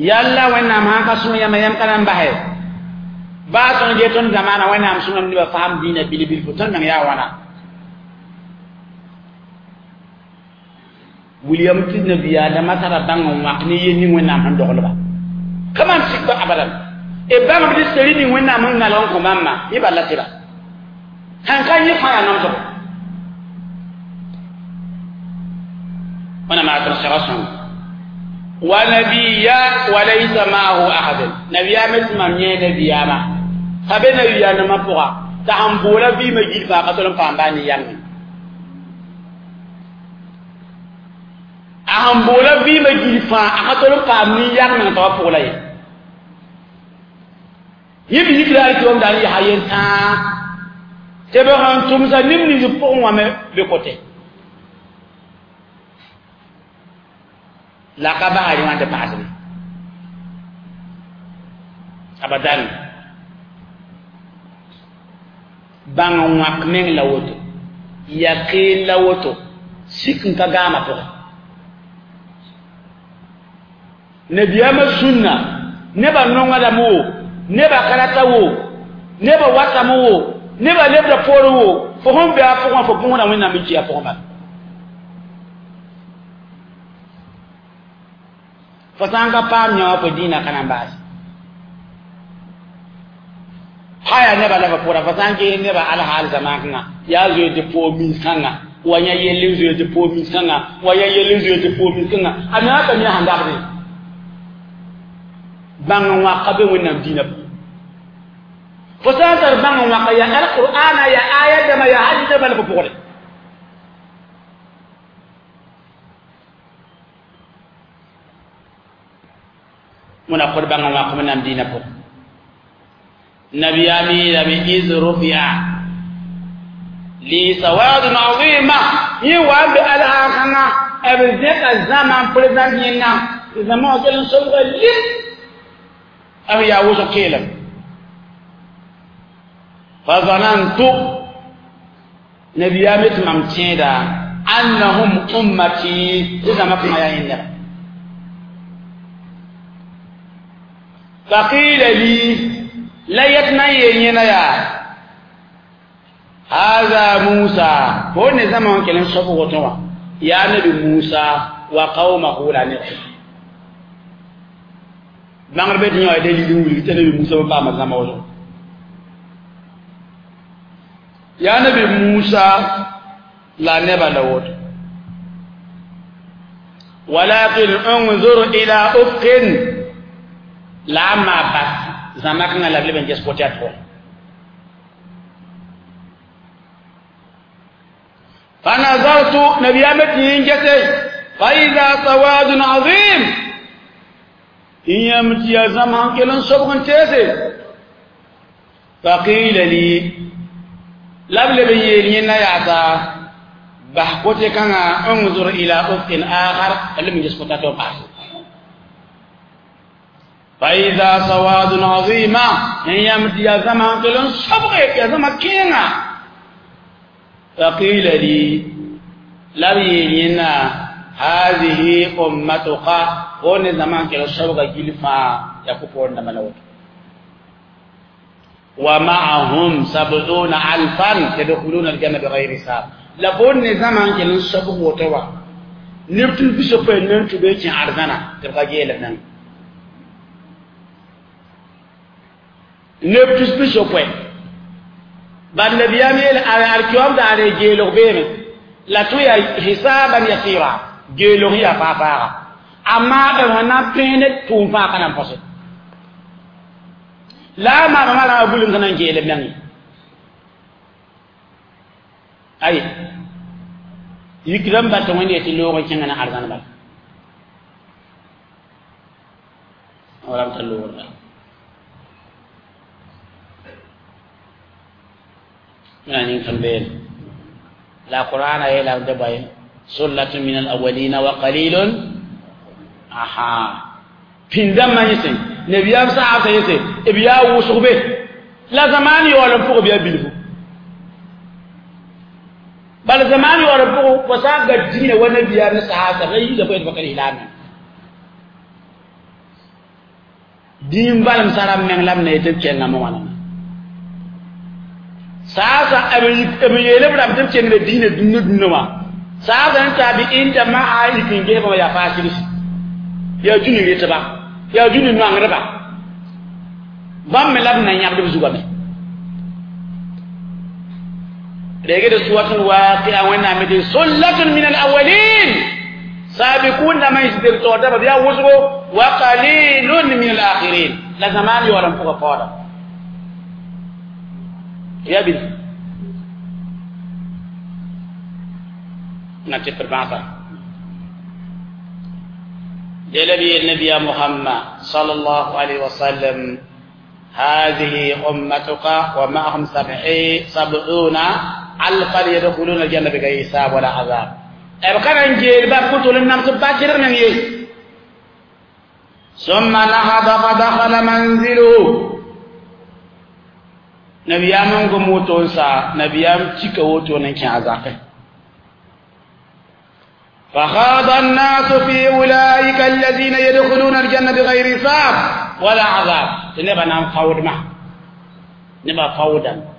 yalla wẽnnaam sãn ka sõs yãmba yãmb ka na n basɛ baa tõnd ge tõnd zamaana wẽnnaam sõngame nebã faham dĩinã bil-bil fo tõnd meng yaa wãna William tɩ nabiyaadãmã tara bãng n wãk ne yel ning wẽnnaam sẽn doglba ka maan sik ba abadan e bãngb tɩ seri ning wẽnnaam sẽn nalg n kõ bãmba yẽ bala tɩra sãn ka yẽ fãa yaa namsgo wẽnnaam yaa tõnd sega sõngo wa nabiya wa laysa ma'ahu ahad nabiya me tɩ mam yẽ nabiyama ka be nabiyaanãmã pʋga t'a sẽn boola vɩɩmã gil fãa ka tol n paam baa ne yãngẽ a sẽn boola vɩɩmã gil fãa a ka tol n paam nin-yãng t'a wa pʋg la ye yẽ b yikra alkiom daar n yaa yel-tãa tɩ b sẽn tʋmsa neb nins pʋgẽ wã me be kote la ka basr wã tɩ paasbe abadan bãng n wãk meng la woto yakeen la woto sik n ka gaamã pʋgẽ nabiyaamã sũnna nebã nongdame wo nebã ka rata wo nebã watame wo nebã lebda poorẽ wo fo sẽn be a pʋgẽ fo bõosda wẽnnaam n kɩ a pʋgẽ bala fo sã n ka paam yã wã fo dĩinã ka na n baase haya nebã la fo pʋgra fo sã n ges nebã alhaal zamaan-kãngã yaa zoe tɩ poog mins-kãnga wa yã yell n zoe tɩ poog mins-kãnga wa yã yell n zoe tɩ poog mins-kãnga a mengã ka mi a sẽn dabdẽ bãng n wãka be wẽnnaam dĩinã pʋgẽ fo sã n tar bãng n wãka yaa alqur'ana yaa aya dãmba yaa hadis dãmba la fo pʋgre wẽna kod bãng n wãk wẽnnaam dĩinã pʋgẽ nabiyaam yeelame iz rufia li sawadun azima yẽ wa n be alhaakãngã b zẽka zãma n prezãnt yẽnna tɩ zãma wã kell n sobga lim b yaa wʋsg keelem fa zanantu nabiyaam tɩ mam tẽeda annahum ummati tɩ zãma kãngã yaa yẽ neba faqila li la yet na n yeel yẽna yaa haza musa fo ne zãma wã kell n sob woto wã yaa nabi musa wa qaumahu la neb bãngr be tɩ yã wa dalil n wilg tɩ nabi musa pa paama zãma woto yaa nabi musa la neba la woto walakin unzur ila ufqin La ma bas zãma kãngã la b leb n ges kote a pʋgẽ فنظرت نبيامتي إنجتي فإذا سواد عظيم إن يمتي يا زمان كلن سبغن تيسي فقيل لي لبلب يلين يعطى بحكوتي كان انظر إلى أفق آخر لم يسقط توقع فإذا سواد عظيم إن يمتي يا زمان كلن سبغ يا زمان كينا فقيل لي لم يلين هذه أمتك هون زمان كلن سبغ جلفا يكفون نملوت ومعهم سبعون ألفا يدخلون الجنة بغير حساب لبون زمان كلن سبغ وتوا نبتل بسوبة ننتو بيتي عرضنا تبقى جيلة نن نبتل بسوبة بل نبيام يل الكيوم داري جيلو بيم لا تويا حسابا يسيرا جيلو هي فافا أما أنا بينت توفا كان فصل لا ما ما لا أقول إن كان جيل بني أي يكرم باتوين يتلو وكان أنا أرزان بال ورام تلو ولا يعني كم بين لا قرآن إلا دبي سلة من الأولين وقليل أها بيندم ما يسين نبيام ساعة يسي إبيا وسوبه لا زمان يولم فوق بيا بيلفو بل زمان يولم فوق وساق الدين ونبيام ساعة غير يبغى يتفكر إعلامي دين بالم سلام من لم نيتب كنا موانا ساعة أبي أبي يلم لم تب كنا دين دين دين ما ساعة أنت أبي إنت ما عايز كنجيب ما يفاسيس يا جوني يتبع يا جوني نوع ربع بام ملاب نيا بدو زوجة رجع سورة الواقعة وين عمد سلة من الأولين سابقون ما يصدر تودا بديا وزرو وقليل من الآخرين لا زمان يورم فوق فورا يا بني نتفر بعضا لنبي النبي محمد صلى الله عليه وسلم هذه أمتك ومعهم سبعون ألفا يدخلون الجنة بغير حساب ولا عذاب. أبقى إنجيل باب كتب النمس باكر من يس. ثم نهض فدخل منزله. نبي أمم كموتونسا نبي أم تكوتون كعذاب. فخاض الناس في أولئك الذين يدخلون الجنة بغير حساب ولا عذاب. نبى نام فاود ما نبى فاودا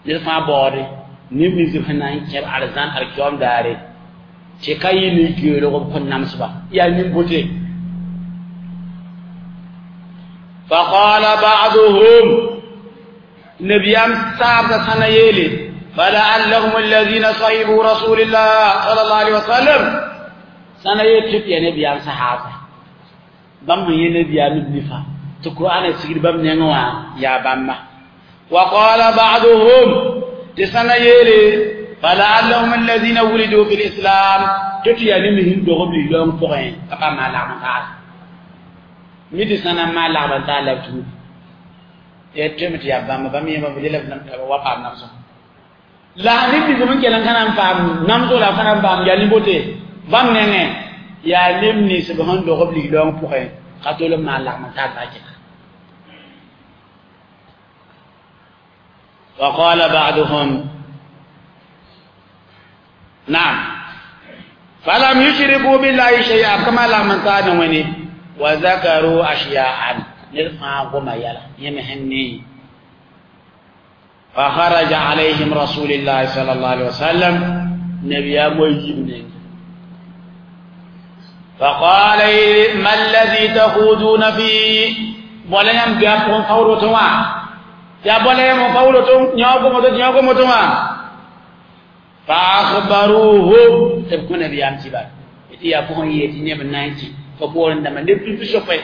نرفع بوري نبني زفنا كير أرزان أركيوم داري تكاي نيجيلو كن نامسبا يا نيمبوتي. فقال بعضهم نبيام سابت سنة يلي فلعلهم الذين صيبوا رسول الله صلى الله عليه وسلم سنة يتب يا نبيام صحابة بام يا نبيام نفا تقرآن سير بام نعوا يا بام. وقال بعضهم تسنة يلي فلعلهم الذين ولدوا في الإسلام تتيا نمهم دغم لهم فقين أبا ما لعب تعال ميت سنة ما لعب تعال لبتو يتم يا بام بام يا بام يلا وقع نفسه لا نبي زمان كلام كلام فام نامزو لا كلام فام يا نبوتي بام نعم يا نمني سبحان دغم لهم فقين قتل ما لعب تعال باكر. وقال بعضهم نعم فلم يشركوا بالله شيئا كما لا من تانوني وذكروا أشياء نرفع وما يلا يمهني. فخرج عليهم رسول الله صلى الله عليه وسلم نبي مجيبني فقال ما الذي تخوضون فيه ولا يمكن فورتوا يا بولا يم فورتوا نياكو متو نياكو متو فأخبروه تبكون نبي أمتي بعد يا بوهن يتي نبي نايتي فبورن دم نبي تشوفه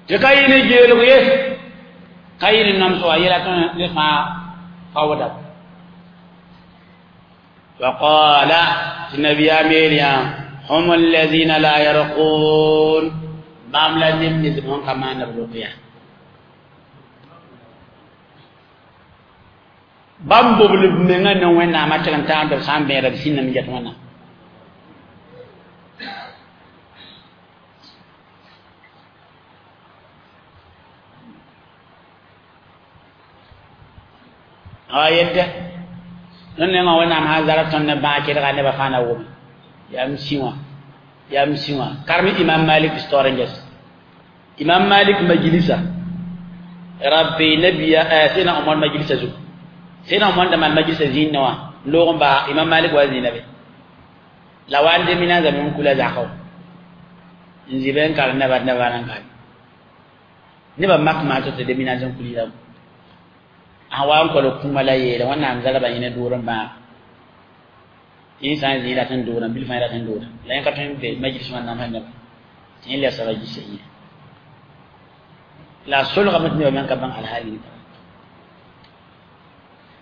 Tɩ ka yɩ ne geelg ye ka yɩ ne namsg a yɛla tõe ne fãa kaooda وقال النبي أميريا هم الذين لا يرقون بام لا نم نزبون كما نبلوكيا بام بوبل منغا نوين ما تشغن تان دو سام بيرا سين نم جت ونا آية non ne ma wona ma zara ton ne ba ke daga ne ba fana wo ya msiwa ya msiwa karmi imam malik storanges imam malik majlisa rabbi nabiya sina umar majlisa zu sina umar da man majlisa zinna logon ba imam malik wa zinabe la wande mina zaman kula zakaw nziben kar ne ba ne ba nan kan ne ba mak ma to de mina zan kulila a wa n kɔl kũma la yeele wẽnnaam zarba yẽne doorẽ bãag yẽ sã n zĩ rat n doorã bil fãa rat n doora la yẽ ka tõe n be majlis wẽnnaam sã neba tɩ yẽ lebsga gisa yẽ la a solgame tɩ nebã meng ka bãng alhaali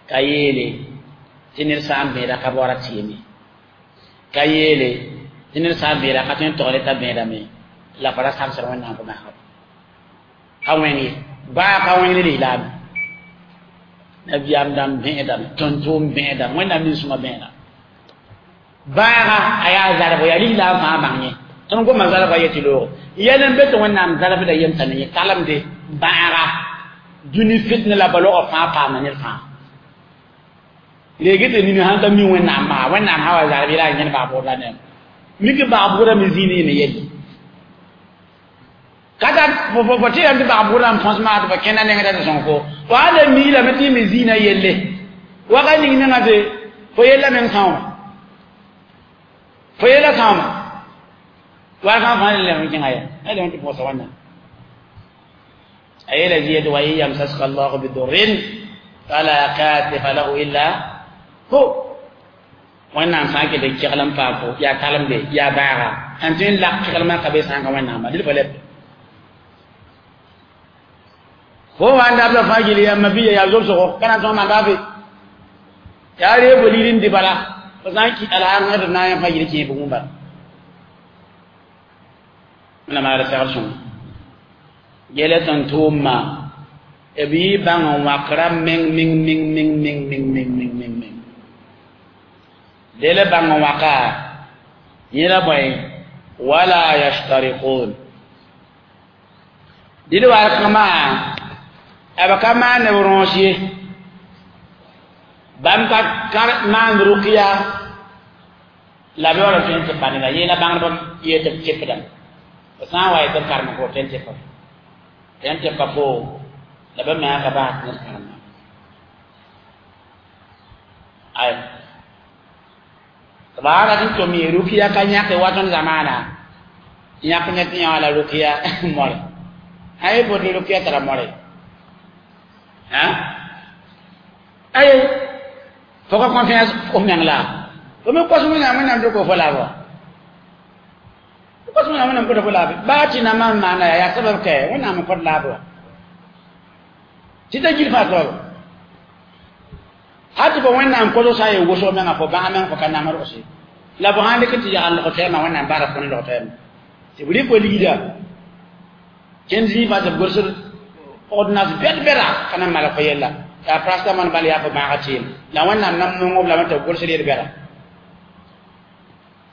ka yeele tɩ ned sã n bẽeda ka baoora tɩyeme ka yeele tɩ ned sã n bẽeda ka tõe n togre t'a bẽedame la fa ra samsd wẽnnaam fo masga ka wẽng ye baa ka wẽng ne lislaame nabiyam dam bẽedame tõn-tʋʋm bẽedame wẽnnaam nin-sõma bẽeda baaga a yaa zarb yaa lislaam fãa bãng yẽ tõnd goma zarba yetɩ looge yɛl n be tɩ wẽnnaam zarbda yemsa ne yẽ talemde bãaga dũni fitna la balogã fãa paamda ned fãa reege tɩ nini sãn ka mi wẽnnaam maa wẽnnaam sã wa zarb yela a yẽd baag-bʋgd la nem mik baag-bʋgdã me zĩig ne yelle kata fo tɩ tɩ baag-bʋgdã n põs maa tɩ fo kẽnda nengdã tɩ sõng fo fo sã la miilame tɩ me zĩigã yelle waka ning nengã tɩ fo yella meng sãooma fo yella sãooma warkã fãa le lem n kẽnga ya a lem tɩ pʋgsa wãnna a yeela zɩ tɩ wa in yamsaska allahu bidurrin fala katifa lahu illa hu wẽnnaam sã n ket n kegl n paam fo yaa talemde yaa baaga sãn tõe n lak keglmã ka be sã n ka wẽnnaamba dɩl fo leb fo wa n dabda fãa gil yãmba biya yaa zobsgo ka na n tõg manda fe yaa ree fo ligd n dɩ bala fo sã n kɩ alhaar tɩ b na n yã fãa gil kẽe bugẽ bala wẽnnaam yaa segd sõng gela tõn tʋʋmma b yɩ bãng n wãkra meng meng meng meng meng meng meng meng meng meng dele bãng n wãka yẽla bõe wala yashtariqun dɩd war kãma b ka maan b rõos ye bãmb ka maan rʋkya la b yaool n tõe n tɩ pa neda yẽela bãngdb yee tɩ b tɩpdame fo sã n wa yetɩ b karem fo tõe n tɩ pa tõe n tɩ pa fo la b menga ka bas ned kãrema ay b raa rat n tʋm ye rʋkya ka yãke wa tõnd zamaana yãk ne tɩ yã wã la rʋkya more ay bot rʋkya tara more ha ay fo ka confiance fo meng la fo me kos wẽnnaam wẽnnaam dɩk fo laabã kos wẽnnaam wẽnnaam kõta fo laabe baa tɩ na maan maana yaa yaa sabab kɛ wẽnnaam n kõt laab wa tɩ ta gil fãa soaba hal tɩ fo wẽnnaam kosg sã n yee wʋsg menga fo bãag meng fo ka namd rʋgse la fo sãn dɩk tɩ yagl log tɛɛmã wẽnnaam baara fo ne log tɛɛmã tɩ b rɩk fo ligda kẽnd zĩig fãa tɩ b gʋlsd ordonnance bɛd bɛda ka na n malg fo yella yaa paracetamol bal yaa fo bãaga tɩɩm la wẽnnaam na nongob lame tɩ b gʋlsd yel bɛda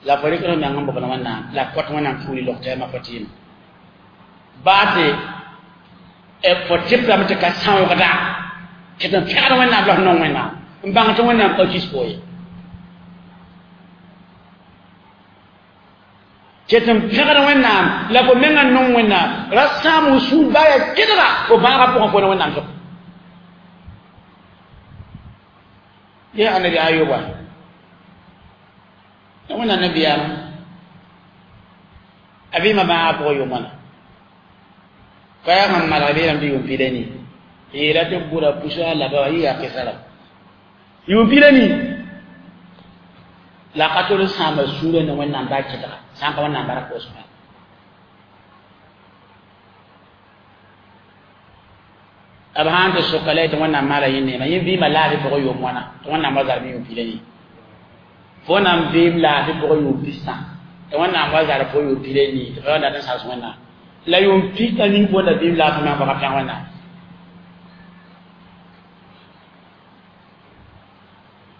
la fo rɩk meng n bobl wẽnnaam la kõt wẽnnaam fuuli log tɛɛmã fo tɩɩm baa tɩ fo tɩpdame tɩ ka sãoogda tɩ n pẽgd wẽnnaam la f nong wẽnnaam n bãng tɩ wẽnnaam pa kis fo ye tɩ n pẽgd wẽnnaam la fo menga nong wẽnnaam ra sãam n sũur baa yaa kɩdga fo bãagã pʋgẽ fo ne wẽnnaam sʋk ye annabi ayuba wẽnnaam nabiyaam a vɩɩmã bãagã pʋgã yʋʋmãna ka yaa sẽn malg beelame tɩ yʋʋm pila nii yeela tɩ bʋra pusa laba wa yɩ yaa kɩsa la yʋʋm pila nii la ka tol n sãama sũurã ne wẽnnaam baa kɩdga sã n ka wẽnnaam bark koosmã b sãn tɩ soka la tɩ wẽnnaam maala yẽ neema yẽ vɩɩmã laafɩ pʋgẽ yʋʋm wãna tɩ wẽnnaam wa zarb yʋʋm pila yẽ fo nan vɩɩm laafɩ pʋgẽ yʋʋm pistã tɩ wẽnnaam wa zarb fo yʋʋm pila nii tɩ fo dat n sals wẽnnaam la yʋʋm pistã ning fo la vɩɩm laafɩ meng baka pẽg wẽnnaam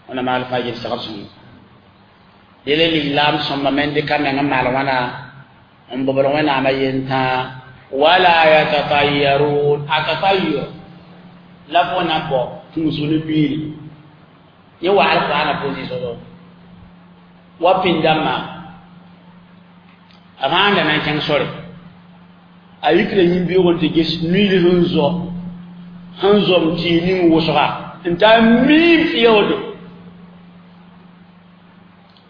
wẽnnaam maal fãa yel segd sõngo dele lislaam sõmba me n dɩka meng n maal wãna n bobd wẽnnaamã yentã wala yatatayyarun a tatayyur la fo na bɔ tũusg ne miiri yẽ wa alqur'ana pʋʋsɩ wa pĩnd-dãmbã a fãa na n kẽng sore a yikra yĩn-beoog n tɩ ges nuil sẽn zɔ sẽn zɔm tɩɩg ning wʋsga n taa miim fɩoode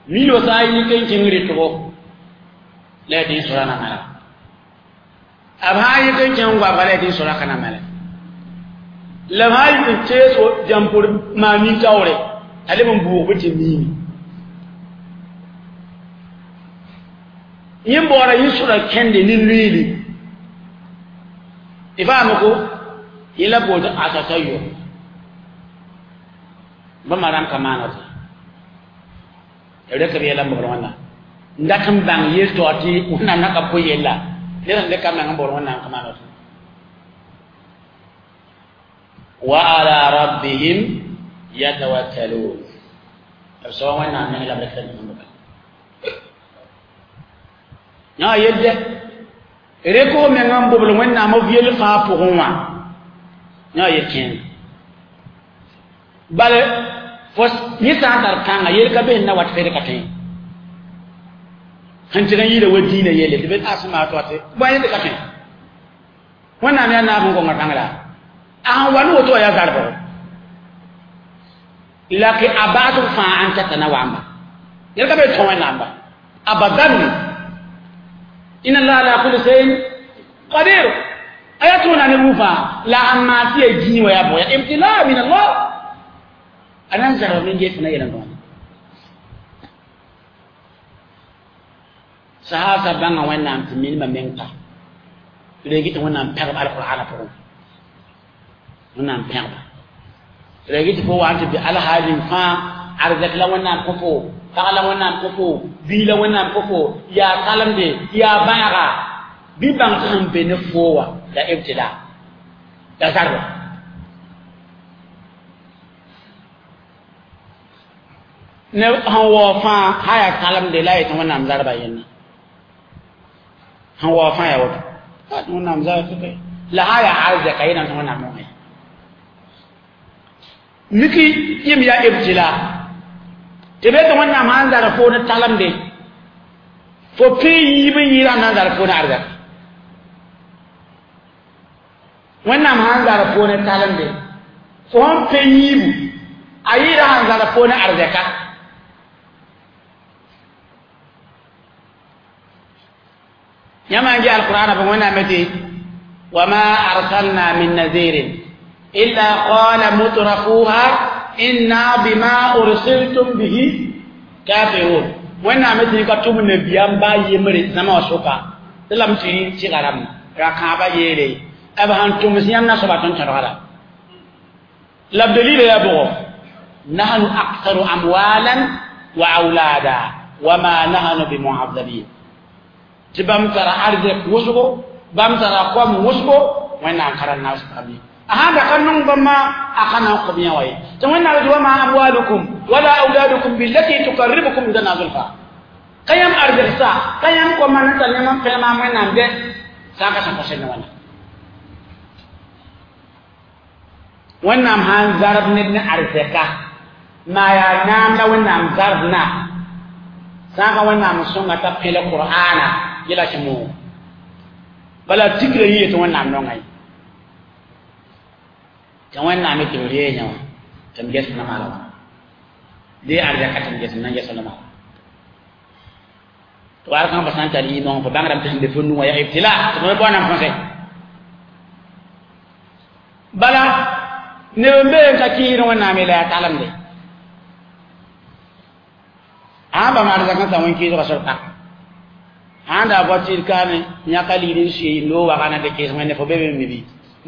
nuil wa sã n yik n kẽng rɩtgo la ya tɩ yẽ sora na mala b sã n yik n kẽng goabga la ya tɩ yẽ sora ka na mala la b sã n yik n tees jãmpr maan nin-taoore t'a leb n buug bɩ tɩ miime yẽ baoora yẽ sora kẽnde ne nuiili tɩ faame ko yẽ la bool tɩ atatayo bãmba rãmb ka maana tɩ rek b yɛla n bobd wẽnnaam n dat n bãng yel-taoor tɩ wẽnnaam na ka pʋ yella ned sẽn dɩka meng n bobd wẽnnaam ka maana tɩ wa ala rabbihim yatawakkalun b soa wẽnnaam meng la b rek b yã yelde reko meng n bobl wẽnnaam b yell fãa pʋgẽ wã yã yel kẽeng bal fo yẽ sã n tar kãnga yel ka be n na wat fed ka tõe sẽn tɩg n yɩɩda wa dĩinã yelle tɩ be a sẽn maa tɩ bõe yẽnd ka tõe wẽnnaam yaa naab n konga pãng la a sẽn wa ne woto wã yaa zarbgo la ke a baasg fãa n tata na wamba yel ka be tõ wẽnnaam ba abadan إن الله على كل شيء قدير آياتنا نبوفا لا أما تيجي ويا بويا ابتلاء من الله أنا أنزل من جيت نيل نون سهاسا بنا وين نام تمين ما منك لقيت وين نام بيرب على القرآن فوق وين نام بيرب لقيت فوق أنت على هذه فا أرزق لا وين نام كفو pag la wẽnnaam kõ fo bii la wẽnnaam kõ fo yaa kalemde yaa bãaga bɩ bãng tɩ sẽn be ne foo wã la ibtila la zarba ne sẽn waoog fãa sã yaa kalemde la a yetɩ wẽnnaam zarba yẽnna sẽn waoog fãa yaa woto wẽnnaam zarba la sã yaa arzɛka yẽnam tɩ wẽnnaam nongẽ miki yẽm yaa ibtila tɩ be tɩ wẽnnaam sã n zar fo ne talemde fo pẽ yiib n yɩɩda n na n zar fo ne arzɛk wẽnnaam sã n zar fo ne talemde fo sẽn pẽ yiibu a yɩɩda sãn zar fo ne arzɛka yãmb n ge alqur'ana pʋgẽ wẽnnaam me tɩ wama arsalna min nazirin illa qala mutrafuha inna bima ursiltum bihi kafirun wẽnnaam tɩ ka tʋm nabiyaam baa yembre zãma wã sʋka tɩ lame tɩ rɩ tɩga rãmb ra-kãabã yeele b sãn tʋms yãmb na soaba tõnd tõdga la la b dalila yaa bʋgɔ nahnu aktharu amwalan wa aulada wama nahnu bimuazabin tɩ bãmb tara arzɛk wʋsgo bãmb tara kom wʋsgo wẽnnaam ka ra naas bãmb ye هذا كان بما أخنا قبيا وي تمنى وما أموالكم ولا أولادكم بالتي تقربكم عندنا زلفى قيم أرزقسا قيم كما نتنم قيم من نمد ساكا سنفسنا وانا ونام هان زرب ندن أرزقا ما ينام لا ونام زربنا ساكا ونام سنة تبقي القرآن يلا شمو بلا تكري يتونام نونغي tɩ wẽnnaam tɩ b reeg yã wã tɩ m ges na maala wã dee arzɛka tɩ m ges n na n ges la maala tɩ war kãng fa sã n tar yɩ-nong fo bãngdame tɩ sẽn be fo nu wã yaa ibtila tɩ fo me bao na n põse bala neb n bee n ka kɩɩsd wẽnnaam la yaa talemde sãn bãmb arzɛk n sa wẽn-kɩɩsgã sor pa sãn da voiture kaame yãka ligd n sui loog wagã na tɩ kɩɩs wẽnde fo be be me bɩ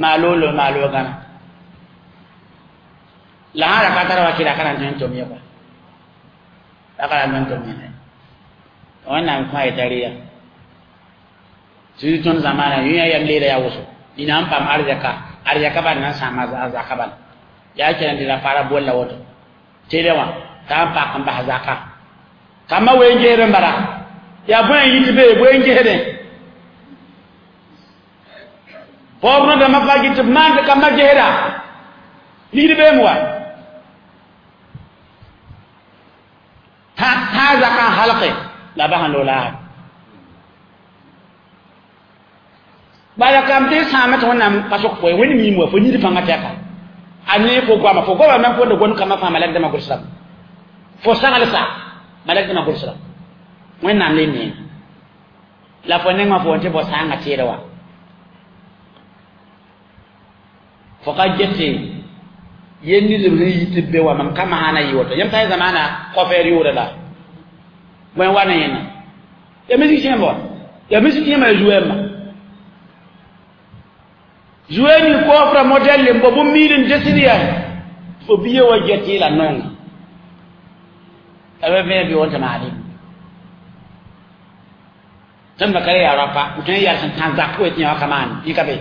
maa loog lo maa loog gãna La hara ka tara wa kira kana tõe n tʋm ye kɔa la ka ra tõe n tʋm yẽna wẽnnaam kõ a yetariya tɩ tõnd zamaana yũ yaa yam leeda yaa woso nina n paam arzɛka arzɛka bal na n sãam a zaka bala yaa kẽna tɩ ra fara bolla woto tele wã t'a n pak n bas zaka kambã wee n gesd n bala yaa bõe n yit be bõe n gesdẽ paoog rõdãmbã pa gɩ tɩ b maan tɩ kambã gesda ligd beem wa tã zaka n halge la bas n loog laasd bala kam tɩ sãama tɩ wẽnnaam pa sok fo ye wẽnd miim wa fo nid pãngã tɛka a ne fo goama fo goama meng fo gom kambã fãa malɛkdãmbã gʋlsdame fo saglsa malɛkdãmbã gʋlsdame wẽnnaam le neem la fo nengã fo tɩ fo sãanga tẽeda wa fo ka gete yen nidb sẽn yit tɩ b be wa mam ka maana yɩ woto yãmb t'a zamaana kɔfɛɛr yʋʋda la bõe wa ne yẽna ya misik kẽemba wa ya misik kẽemã ya zu-wɛɛmbã zueni kofra modèle mbo bu mirin desiriya fo biye wa geti la nonga abe me bi wonta mali tan bakare ya rapa tan ya san tan zakko ti ya kaman ni kabe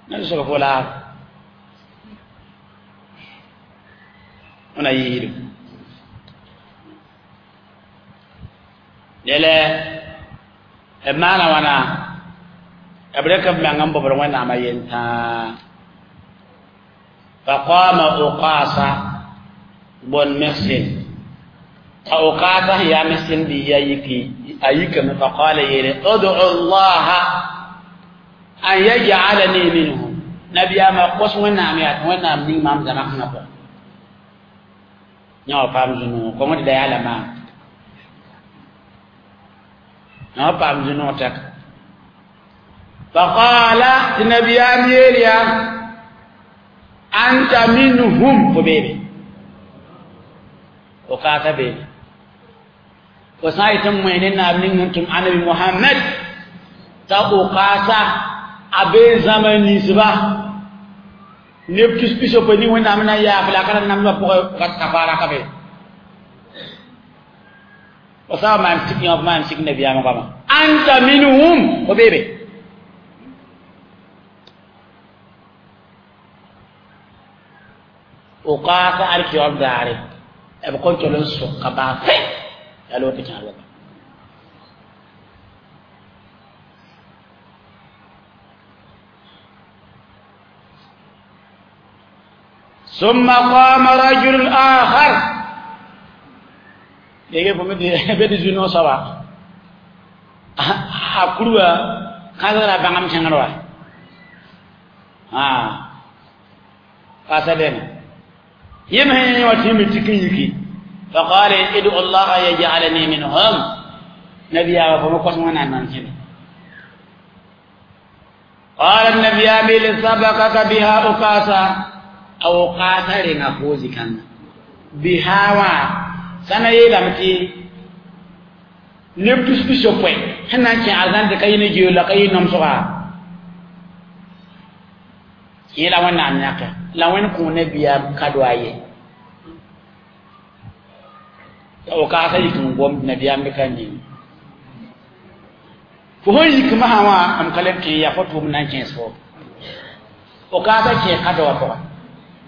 na so ko la ona yiru lele b maana wãna b rɩk b meng n bobd wẽnnaamã yentãa faqama uqasa bun mihsin t'a uqasa sẽn yaa mihsin biiya yiki a yikame faqala yeele udu llaha an yaj'alani minhum nabiyaamã kos wẽnnaam yaa tɩ wẽnnaam ning maam zãma kãngã pʋgẽ yã wa paam zũ-noog kõng tɩ da yaa la maam yã wa paam zũ-noog tɛka faqala tɩ nabiyaam yeel yaa anta minhum fo beebe fo kaasa beebe fo sã n yetɩ n moe ne naab ning sẽn tʋm anabi mohamɛd t'a okaasa a bee zãma ninsba neb tus pisopoe ning wẽnnaam na n yaaf la a ka ra namsã pʋgẽ kafaara ka be fo sã n maan sik yã f maan sik nabiyaamã goama anta minhum fo beebe okaasa alkiyob daare b kõn tol n sʋka baa fɛ yaa loot tɩ kẽer wata ثم قام رجل آخر yege fo bed zũno soaba a kurwa kãsgra bãngam kẽngr wa pasa dẽne yem sẽn yẽ wa tɩ me tik n yiki faqala idu allaha yajalani minhum nabiyaama fo me kos wẽnnaam nan kẽne qala nabiyami sabakaka biha ukasa a ukasa renga fo zikãngã biha wã sãna yeelame tɩ neb tus pisopoe sẽn na n kẽ arzãn tɩ ka yɩ ne geo la ka yɩ nomsga yẽ la wẽnnaam yãke la wẽnd kõ nabiyaam kado a ye t'a okaasa yik n gomd nabiyaam be ka ning fo sẽn yik masã wã m ka leb kẽ yaa fo tʋʋm na n kẽes fo okaasa kẽ kado wã pʋgã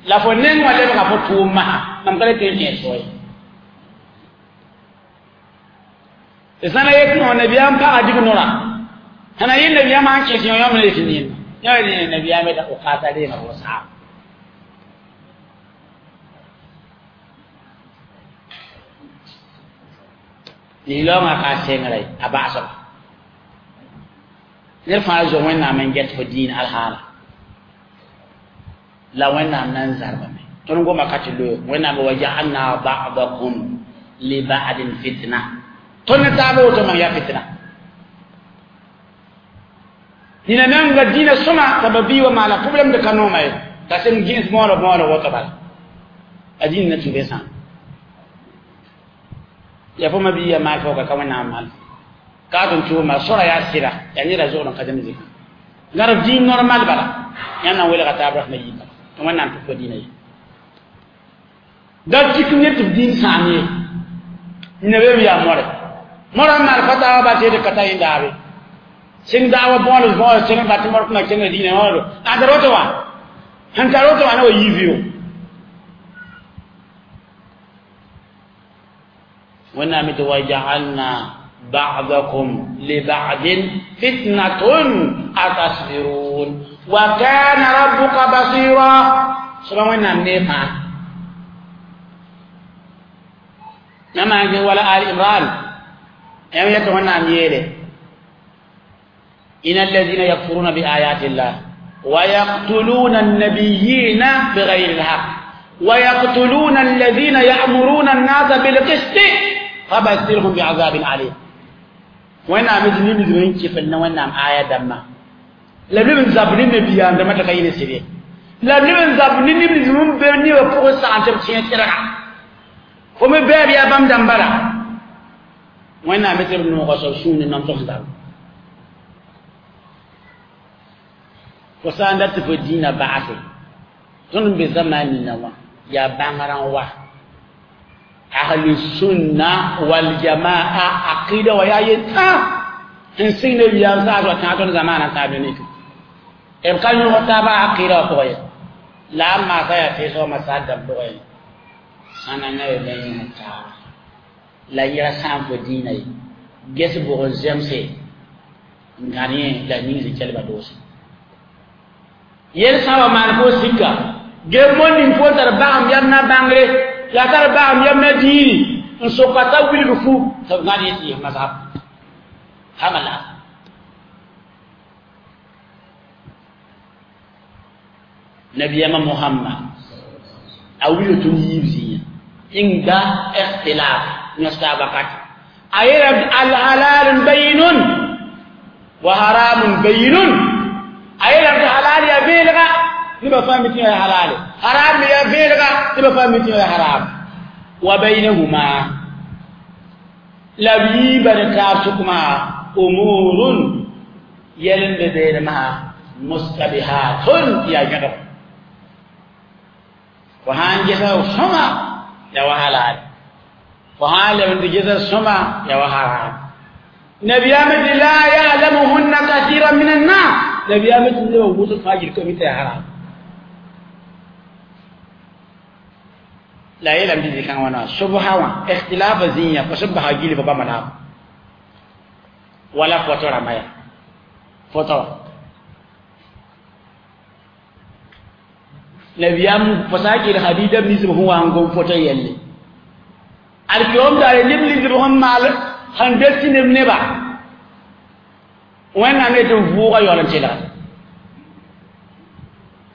la fo neng wã lebga fo tʋʋm masã mam ka le tɩ n kẽes fo ye tɩ sãna yet no nabiyaam paga dig nora sãna yẽ nabiyaam sãn kẽes yõ yãmb le tɩ yẽnda yã rẽ nabiyaam da okaasa reega fo saam nilaoongã ka sengra ye a baasba ned fãa zo wẽnnaam n get fo dĩin alhaala la wẽnnaam na n zarbame tõnd goma ka tɩ loe wẽnnaam wa jaalna badakum li badin fitna tõnd ne taaba woto mam yaa fitna nina menga dĩinã sõma t'a ba bii wa maana problème de ka nooma ye t'a sẽn gẽes moorã moorã woto bala a dĩin na tũ be sãam ya fo ma bii maal fo ka ka wẽnnaam maal ka tʋm tʋʋma sora yaa sɩda yaa neda zogd n ka zẽm zĩka Garab diin normal bala yãmb na n welga taab rasmã yiibã tɩ wẽnnaam tɩ fo dĩinã ye da tik ne tɩ b dĩin sãam ye nina yaa more mora n maan fatawa ba tɩ ka ta yẽndaabe sẽn daawa bõols bõols sẽn bat mor kẽnga kẽngã dĩinã wã a da roto wã sẽn tar woto wã na wa yii vɩo wẽnnaam tɩ wa jaalna ba'dakum li ba'din fitnatun atasbirun wa kana rabbuka basira soaba wẽnnaam ne fãa yãmb maan wala al imran yãmb yetɩ wẽnnaam yeele إن الذين يكفرون بآيات الله ويقتلون النبيين بغير الحق ويقتلون الذين يأمرون الناس بالقسط فبشرهم بعذاب أليم. وين عمد نيم زمين كيف وين عم آية دما لا نبي زابني نبي عند ما تكاين سيري لا نبي زابني نيم زمين بني وفوق ساعة تبشين ترى فم بير يا بام دمبرا وين عمد نبي نقص سون نم تصدق fo sã n dat tɩ fo dĩinã ba'ase tõnd n be zamaan nina wã yaa bãngrã wa ahlu sunna wal jamaa aqida wa yaa yetã sẽn sig nabiyaam saas wa tãag tõnd zamaanã tãab ne b ka yõg taabã aqida wã pʋgã ye la a maasa yaa teesg masaal dãmb pʋgã ye sãn na be yõg taaba la yɛla sãam fo dĩinã ye ges bʋg n zemse n gãd yẽ la ning zĩ-kelba doose yel sã wa maan fo sika ge mon ning fo tar bagam yam na bãngre la tar bagam yam na diini n soka t'a wilg fu tɩ b gãd yẽ tɩ yɩs mazhab hama la nabiyama muhammad a wilg tõnd yiib zĩigã inda ikhtilaf yõs taab wakat a yeela alhalalun bayinun wa haramun bayinun a yeelame tɩ halal yaa beelga nebã fãa mi tɩ yaa halale haram me yaa beelga nebã fãa mi tɩ yaa haram wa baynahuma la b yiibã ne taab sʋkmã umurun yɛl n be beelmã mustabihatun yaa yẽgb fo sãn gesa sõma ya wa halal fo sãn leb n tɩ gesa sõma ya wa haram nabiyame tɩ la ya'lamuhunna kathiran min annas nabiyame tɩ nebã wʋsg fãa gil ka mi tɩ yaa haram la yeelame tɩ zĩ-kãngã wã na sobsa wã ikhtilafa zĩigã fo sẽn basa gil fo bãmba naam wala foto rãmba yaa foto wã nabiyam fo sã n kell hadida b ninsb sẽn wa n gom foto yelle alkiom daare neb ninsb sẽn maal sẽn des tɩ neb neba wẽnnaam yetɩ vʋʋga yaool n telga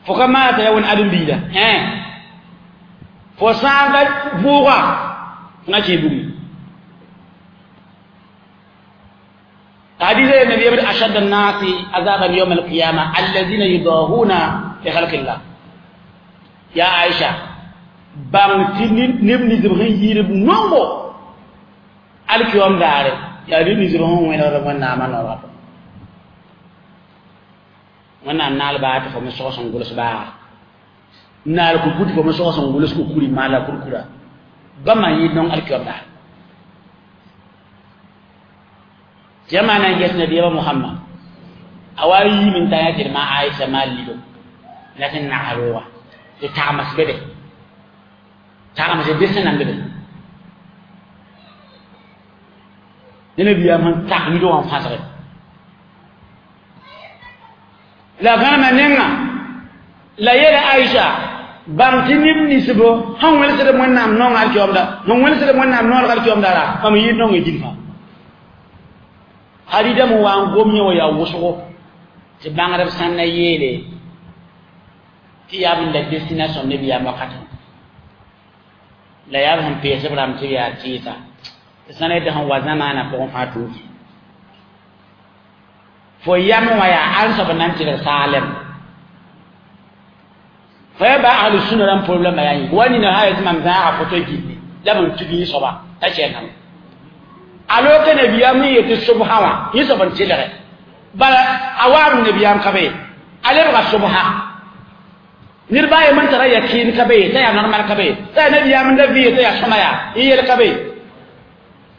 fo ka maa t'a yaa wẽn ãdem-biida fo sã n ka vʋʋga fo na kẽe bugme حديث النبي يقول أشد الناس عذابا يوم القيامة الذين يضاهون في خلق الله يا عائشة بان تي نب نزب خن يرب نونغو alkiyom daare yaa neb ninsb sẽn wẽnegd wẽnnaamã noorgã pʋgẽ wẽnnaam naal baa tɩ fo me sogs n gʋls baa naal kuku tɩ fo me sogs n gʋls kukuri maala kurkura bãmba n yɩɩd nong alkiyom daare tɩ yã maa na n ges nabiyaamã Muhammad a wa yiim n ta yã tɩ d ma Aisha maal lido la tɩ n nags roogã tɩ tagms be be tagms be sẽn nan be be ne nabiyaam sẽn tag lido wã n fãsge la gãnema nenga la yeela Aisha bãng tɩ neb ninsbo sẽn wẽlsd wẽnnaam naong alkiyoomda sẽn wẽlsd wẽnnaam noorg alkiyoomda ra mam yɩɩd naongã gil fãa hadida me wa n gom yẽ wã yaa wʋsgo tɩ bãngdb sãn na yeele tɩ yaa b la destination nabiyaam wakatẽ la yaa b sẽn pees b rãmb tɩ b yaa tɩɩsa tɩ sã na yetɩ sẽn wa zamaanã pʋgẽ fãa tũuki fo yam wã yaa ãn soab n na n tɩlg saalem fo ya ba ahlu sunna rãmb problɛmã yaa yẽ wa nina sã yetɩ mam zãaga foto gilli la b n tug yẽ soaba t'a kɛngame a loka nabiyaam n yetɩ sobsã wã yẽ soab n tɩlge Bala awam nabiyam kabe alebga subha nirba ye man tara yakin kabe ta ya normal kabe ta nabiyam da vi ta ya sumaya yel kabe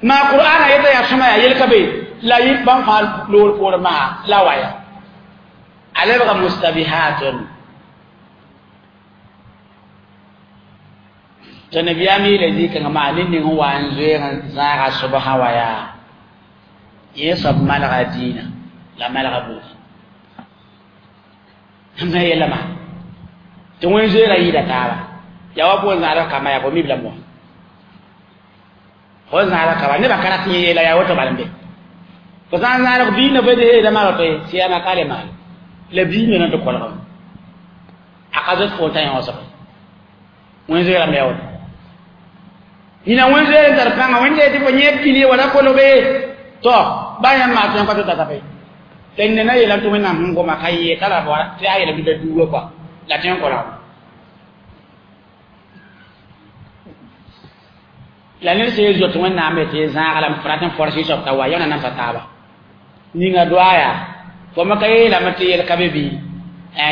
ma qur'ana yata ya sumaya yel kabe la yibban fal lor por ma la waya alebga mustabihatun to nabiyam le zika ma nin nin wan zoe zara subha waya yesab malga dina la malga bu ma yela ma tɩ wẽn zoeera yɩɩda taaba yaa wa pʋgẽ zãadg kamba yaa fo mib la moa fo zãadg kamba nebã ka rat yẽ yeela yaa woto bal n be fo sã n zãadg biigã fo heeda maalo tɩ sɩyama ka le maal la biigã na tɩ kolgame a ka zoet fo t'a yõosg wẽn zoeerame yaa woto nina wẽn zoeer n tar pãnga wẽn tɩ fo yẽ pili wala kolbe to ba yãmb maa tõe n ka tɩ tata fe tɩ ned na yeelame tɩ wẽnnaam sẽn goma ka yee t'a la tɩ a yeelame tɩ da duuga kɔa la tõe n kolgame la ned sẽn zoet wẽnnaam tɩ zãag la f rat n forse soab t'a wa yãmb na namsa taaba ninga doa yaa fo me ka yeelame tɩ yel ka be bɩ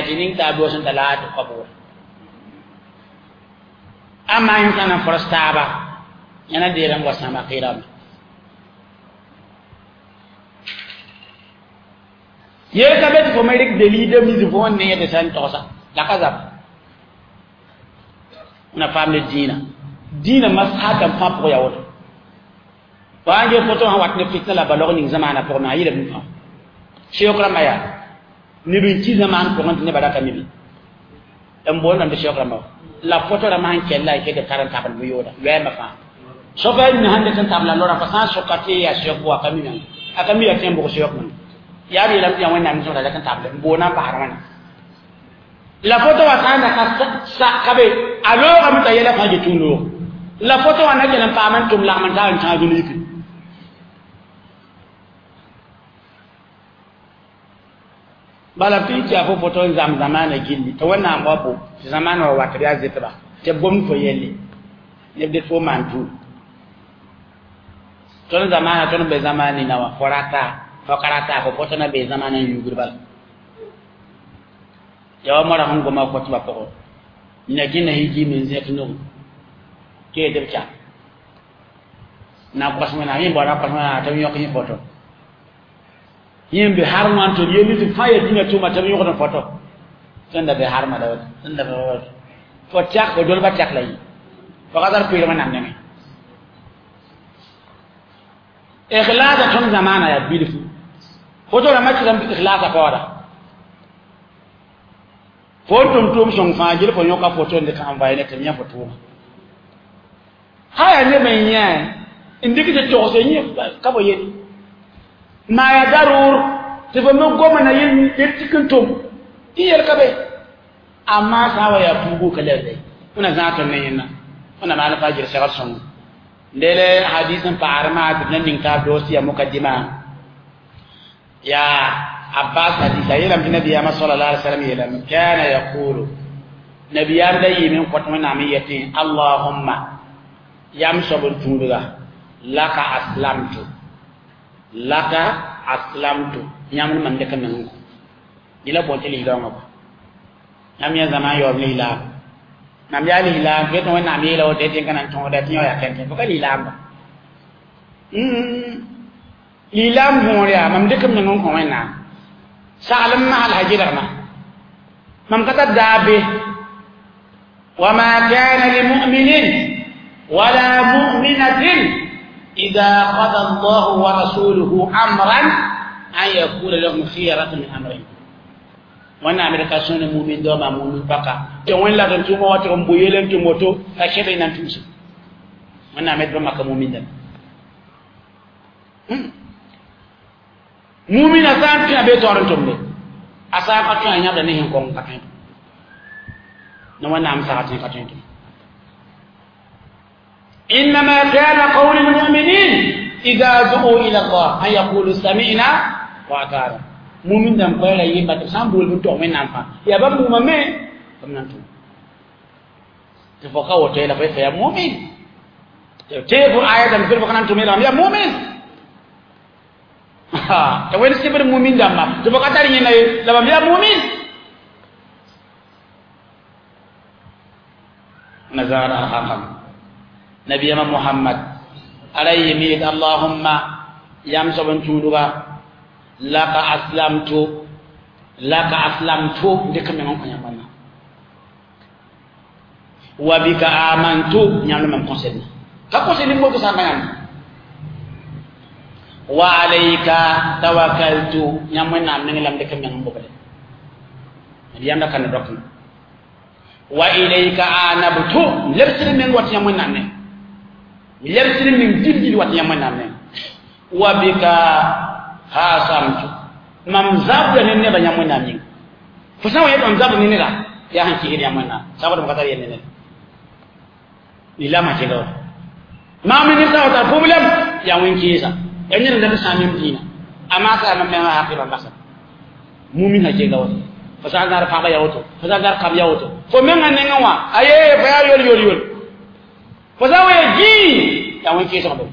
tɩ ning taa doos n ta la tɩ kɔ amma yẽ sã na n fors taaba yãna deerame wa sãama qɩɩrame yel ka be tɩ fo me rɩk delilda mis fo n ne tɩ sã n togsa la ka zab na faam ne dĩinã dĩinã masãatã fãa pʋgã yaa woto wa n ge foto sã wat ne fitna la balog ning zamaanã pʋgẽ me a yɩla bũmb fãa seook rãmbã yaa neb n ki zamaan pʋgẽ tɩ nebã ra ka mi be n boondame tɩ seook rãmbã la foto rãmbã sẽn kell la y ket b tar n tabl bʋ-yooda loɛɛmbã fãa soka y sãn dɩk n tabla lorã fa sã n soka tɩ yaa seook wa ka mi meng a ka mi yaa tõe n bʋg seook meng yaa b yeelame tɩ yaa wẽnnaam sõsda la n table n boonã n pasd wãna la foto wa sã n da ka ka be a loogame t'a yɛla fãa get loog la foto wa na kell n paam n tʋm lagm n taab n tãag dũni yikẽ bala tɩ tɩ yaa fo foto n zãmb zamaana gilli tɩ wẽnnaam wa bo tɩ zamaana wa wat yaa zɩtba tɩ b gomd fo yelle neb dɩt fo maan tuum tõnd zamaana tõnd be zamaan nina wã fo rata fo ka rata fo foto na be zamaana n yugr bala yaa wa moara sẽn goma fotbã pʋgẽ na kẽnda sẽn n zẽk nogu tɩ yetɩ b kya na kos wẽnnaam yẽ baoora kos wẽnnaam tɩ b yõk yẽ foto yẽ n be harmã n tɩ b yel tɩ fãa yaa dĩnã tʋʋma tɩ b yõgd n foto tõnd da be harmã da woto tõnd da be woto fo tɛk fo dolbã tɛk la yɩ fo ka tar pɩɩr wẽnnaam nengẽ ikhlasa tõnd zamaana yaa bilfu foto rãmbã tɩ ikhlasa paooda fo n tʋm tʋʋm sõng fãa gil fo yõka foto n dɩk envoyé ne tɩ b yã fo tʋʋma sã yaa neb n yã n dɩk tɩ togse yẽ ka bo yel maa yaa darʋʋr tɩ fo me goma na yel tik n tʋm tɩ yel ka be amma sã n wa yaa puugu ka lebde wẽna zãag tõnd ne yẽnna wẽna maan pa gɩr segd sõngo lele hadis n paar maa tɩ b na ning taab doos tɩ yaa mukaddima yaa abbas hadis a yeelame tɩ nabiyaamã sala alai wasallam yeelame kana yaqulu nabiyaam da yɩɩme n kõt wẽnnaam n yetẽ allahumma yam soab n tũudga laka aslamtu laka aslamtu yãmb mam dɩk meng yẽla boond tɩ lislaoongã kɔ yãmb yã zãma n yaoob lislaam mam yaa lislaam fo yetɩ wẽnnaam yeela woto tɩ n ka na n tõoda tɩ yõ yaa kẽnkẽ fo ka lislaamba lislaam võor yaa mam dɩk m meng n kõ wẽnnaam saglem masl sa gɩlgma mam ka tar daa be wama kana limuminin wala muminatin ida qada allahu wa rasuluhu amran an yakuna lahum khiyaratu min amrihim wẽnnaam d ka sõne mumin daooma mumin paka tɩ wẽn la n tʋʋma wa tɩg n bʋ yel n tʋm woto ka kẽd y na n tũusa wẽnnaam d bãmba ka mumin dãmb mumina sã n tõe a bee taoor n tʋmde a sã n ka tõe a yãbda ne sẽn kõng ka tõe ne wẽnnaam saga tẽ ka tõe tʋm إنما كان قول المؤمنين إذا دعوا إلى الله أن يقولوا سمعنا وأطعنا mumin dãmb koɛɛga yɩmba tɩ b sã n bool bɩ tog wẽnnaam fãa yaa bãmb bũmba me b nan tʋm tɩ fo ka woto yɛla fo yetɩ yaa mumin tɩ fo aya dãmb fɩ fo ka nan tʋm yeelgame yaa mumin Ha ta wen sibir mu'min damma to ba tar yena la bam ya mu'min nazara al-haqam nabiyama muhammad alayhi mi allahumma yam soban tuduga laka aslamtu laka aslamtu de kam non ko nyamana wa bika amantu nyamna mam conseil ka conseil mo ko sa ngam wa alayka tawakkaltu nyamna nam lam de kam ngam bobale yanda kan dok wa ilayka anabtu lebsir men wat nyamna ne lebsir min dildil wat nyamna ne wa bika hasamtu mam zabda ne ne ba nyamna ni fo sa wa mam zabda ne ne la ya hanki hiri nyamna sababu makatari ne ne ila ma ke gawa ma min ta wata problem ya won kisa yanyin da ta sami dina amma sa man ma haqiba basa mumin ha ke gawa fa sa gar fa ba ya woto fa sa gar kam ya woto fo men ngan ngawa aye fa ya yol yol yol fo sa we ji ya won kisa ba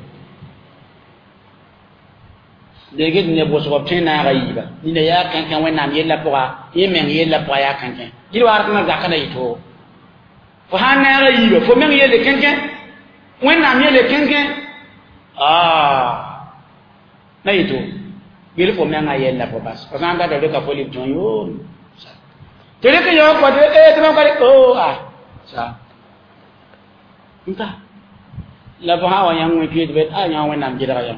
dege ne bo so tena ga yiba ni ne ya kan kan wen nam yella poa yi men yella poa ya kan kan gilwar kana zakana yito fo han na ra yiba fo men yele kenken wẽnnaam yele kenken ah na yito gel fo menga yella fo bas fo sã n data reka fo lib tõe yo tɩ rek n yaoog kɔte e tɩ mam ka o ah sa n ta la fo sã wa yãng wẽ tɩ tɩ a yã wẽnnaam gɩdga yã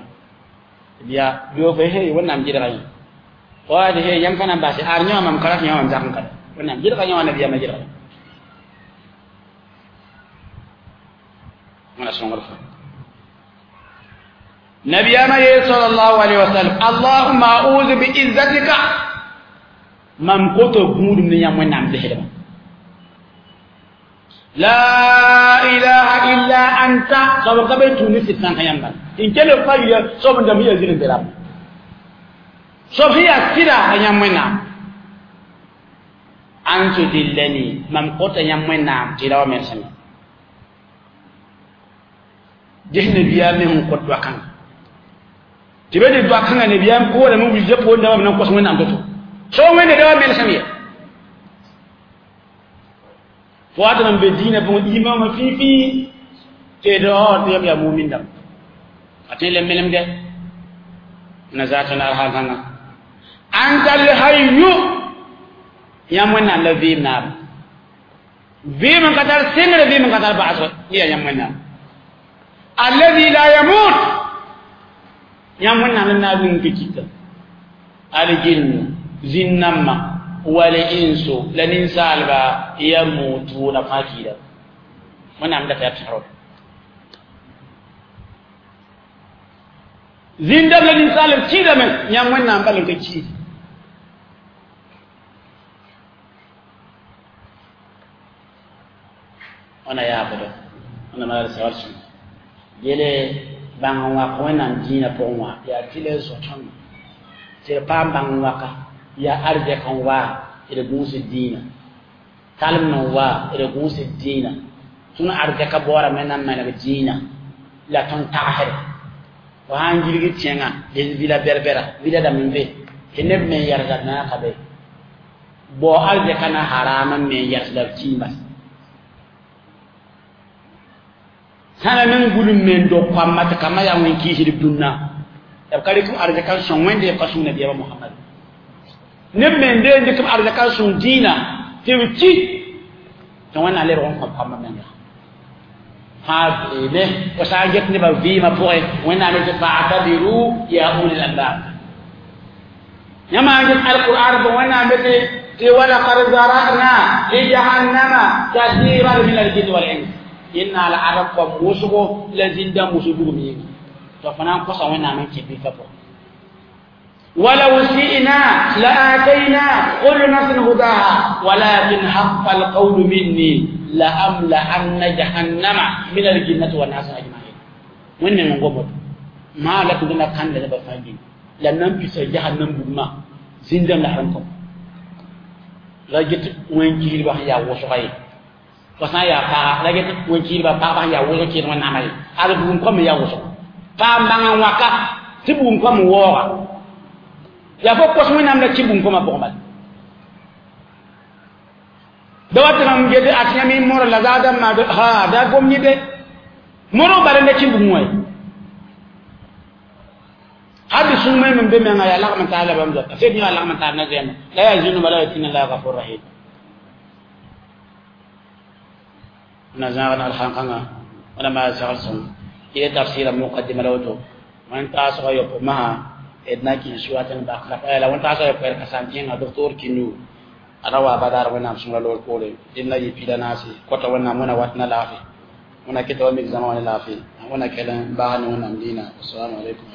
ya bio fo he wẽnnaam gɩdga yã wa he yãmb ka na n base ar yã mam kara tɩ yã wã zak n kada wẽnnaam gɩdga yã wã nabiyaamã gɩdga yã ولا سنغرفة نبي ما صلى الله عليه وسلم اللهم أعوذ بعزتك من قط غود من يوم نام زهرما لا إله إلا أنت سبب قبل تونس سان كيام إن كل فاجر سبب دم يزيد درام سبب هي كذا يوم نام أنت دلني من قط يوم نام تلاوة مرسمي jehne biya men ko do kan tibe de do kan ne biya ko wala mun wije ko ndama nan ko so nan to so wende da mel samiya fo ata be dina bon imam fi fi te do te ya mu'min dam ate le melem de nazatuna alhana anta al hayyu ya mun nan la vim na vim katar singre vim katar ba'so ya ya mun nan الذي لا يموت يمنا لنا بنكيك الجن زنما والإنس لننسى البا يموتون فاكيدا من عم دفع بشعره زندم لننسى الكيدا من يمنا بلنكيك أنا يا أبدا أنا ما أرسل yele bãng n wak wẽnnaam dĩinã pʋgẽ wã yaa tɩ la zõ tõnd tɩ d paam bãng n waka yaa arzɛk n waa d gũusd dĩinã talem n waa d gũusd dĩinã tõnd arzɛka baoorame na n maneg dĩinã la tõnd tagsre fo sã n gilg tẽngã des vila bɛr-bɛra vila dãmb n be tɩ neb me n yɛlsd na ka be bao arzɛka na haraam n me n yɛlsda b kĩimbas sãna men gulum men do kwamma tɩ kambã yaa wẽn kiisd dũnna b ka rɩk arzɛka n sõng wẽnde b ka sõng nabiyaamã Mohamad neb me n deen dɩk b arzɛka n sõng dĩinã tɩ b ki tɩ wẽnnaam lebg n kõb kambã menga fãa beeme fo sã n get nebã vɩɩmã pʋgẽ wẽnnaam tɩ fa'tabiru ya ulil albab yãmb n get alqur'an pʋgẽ wẽnnaam tɩ walaqad zara'na li jahannama kathiran min aljinni wal ins inna la arab ko musugo la zinda musugo mi to fanan ko sa wena men kibi ka po ولو شئنا لآتينا كل نفس هداها ولكن حق القول مني لأملأن جهنم من الجنة والناس أجمعين وين من غومت ما لك دنا كان لا بفاجين لأنهم في جهنم بما زندم لحرمكم رجت وين كيل بخ يا وسوي fo sã n yaa paga la get wẽn-kiidbã pagba sẽn yaa wʋsg kɩɩd wẽnnaamã ye ad bugum kõm n yaa wʋsgo paam bãng n wãka tɩ bugum kõm n waooga Yaa fo kos wẽnnaam la kɩ bũmb kõma pʋgẽ bala da wat mam get at yãmb y mora la zaadã maad ha da gom yẽ moro bala nda kɩ bũmb wã hal sũmẽ me be menga yaa lagm n taab la bãmb zoata sed yã lagm n taab na zẽema la yaa zĩnuma la yaa tĩna la gafur rahim na zãag nagl xãn-kãngã wẽna maa segl sõng yẽ tafsɩra muqaddima la woto wẽn taasga yopo masã d na kɩs suat n bak la wẽn taasga yopo d ka sãn tẽnga docteur Kindu a ra wa badaar wẽnnaam sõngra loor poore d na yɩ pila naase kota wẽnnaam wẽna wat na laafɩ wẽna keta wa mik zãma wã ne laafɩ wẽna kell n baas ne wẽnnaam diinã. Assalamu alaikum.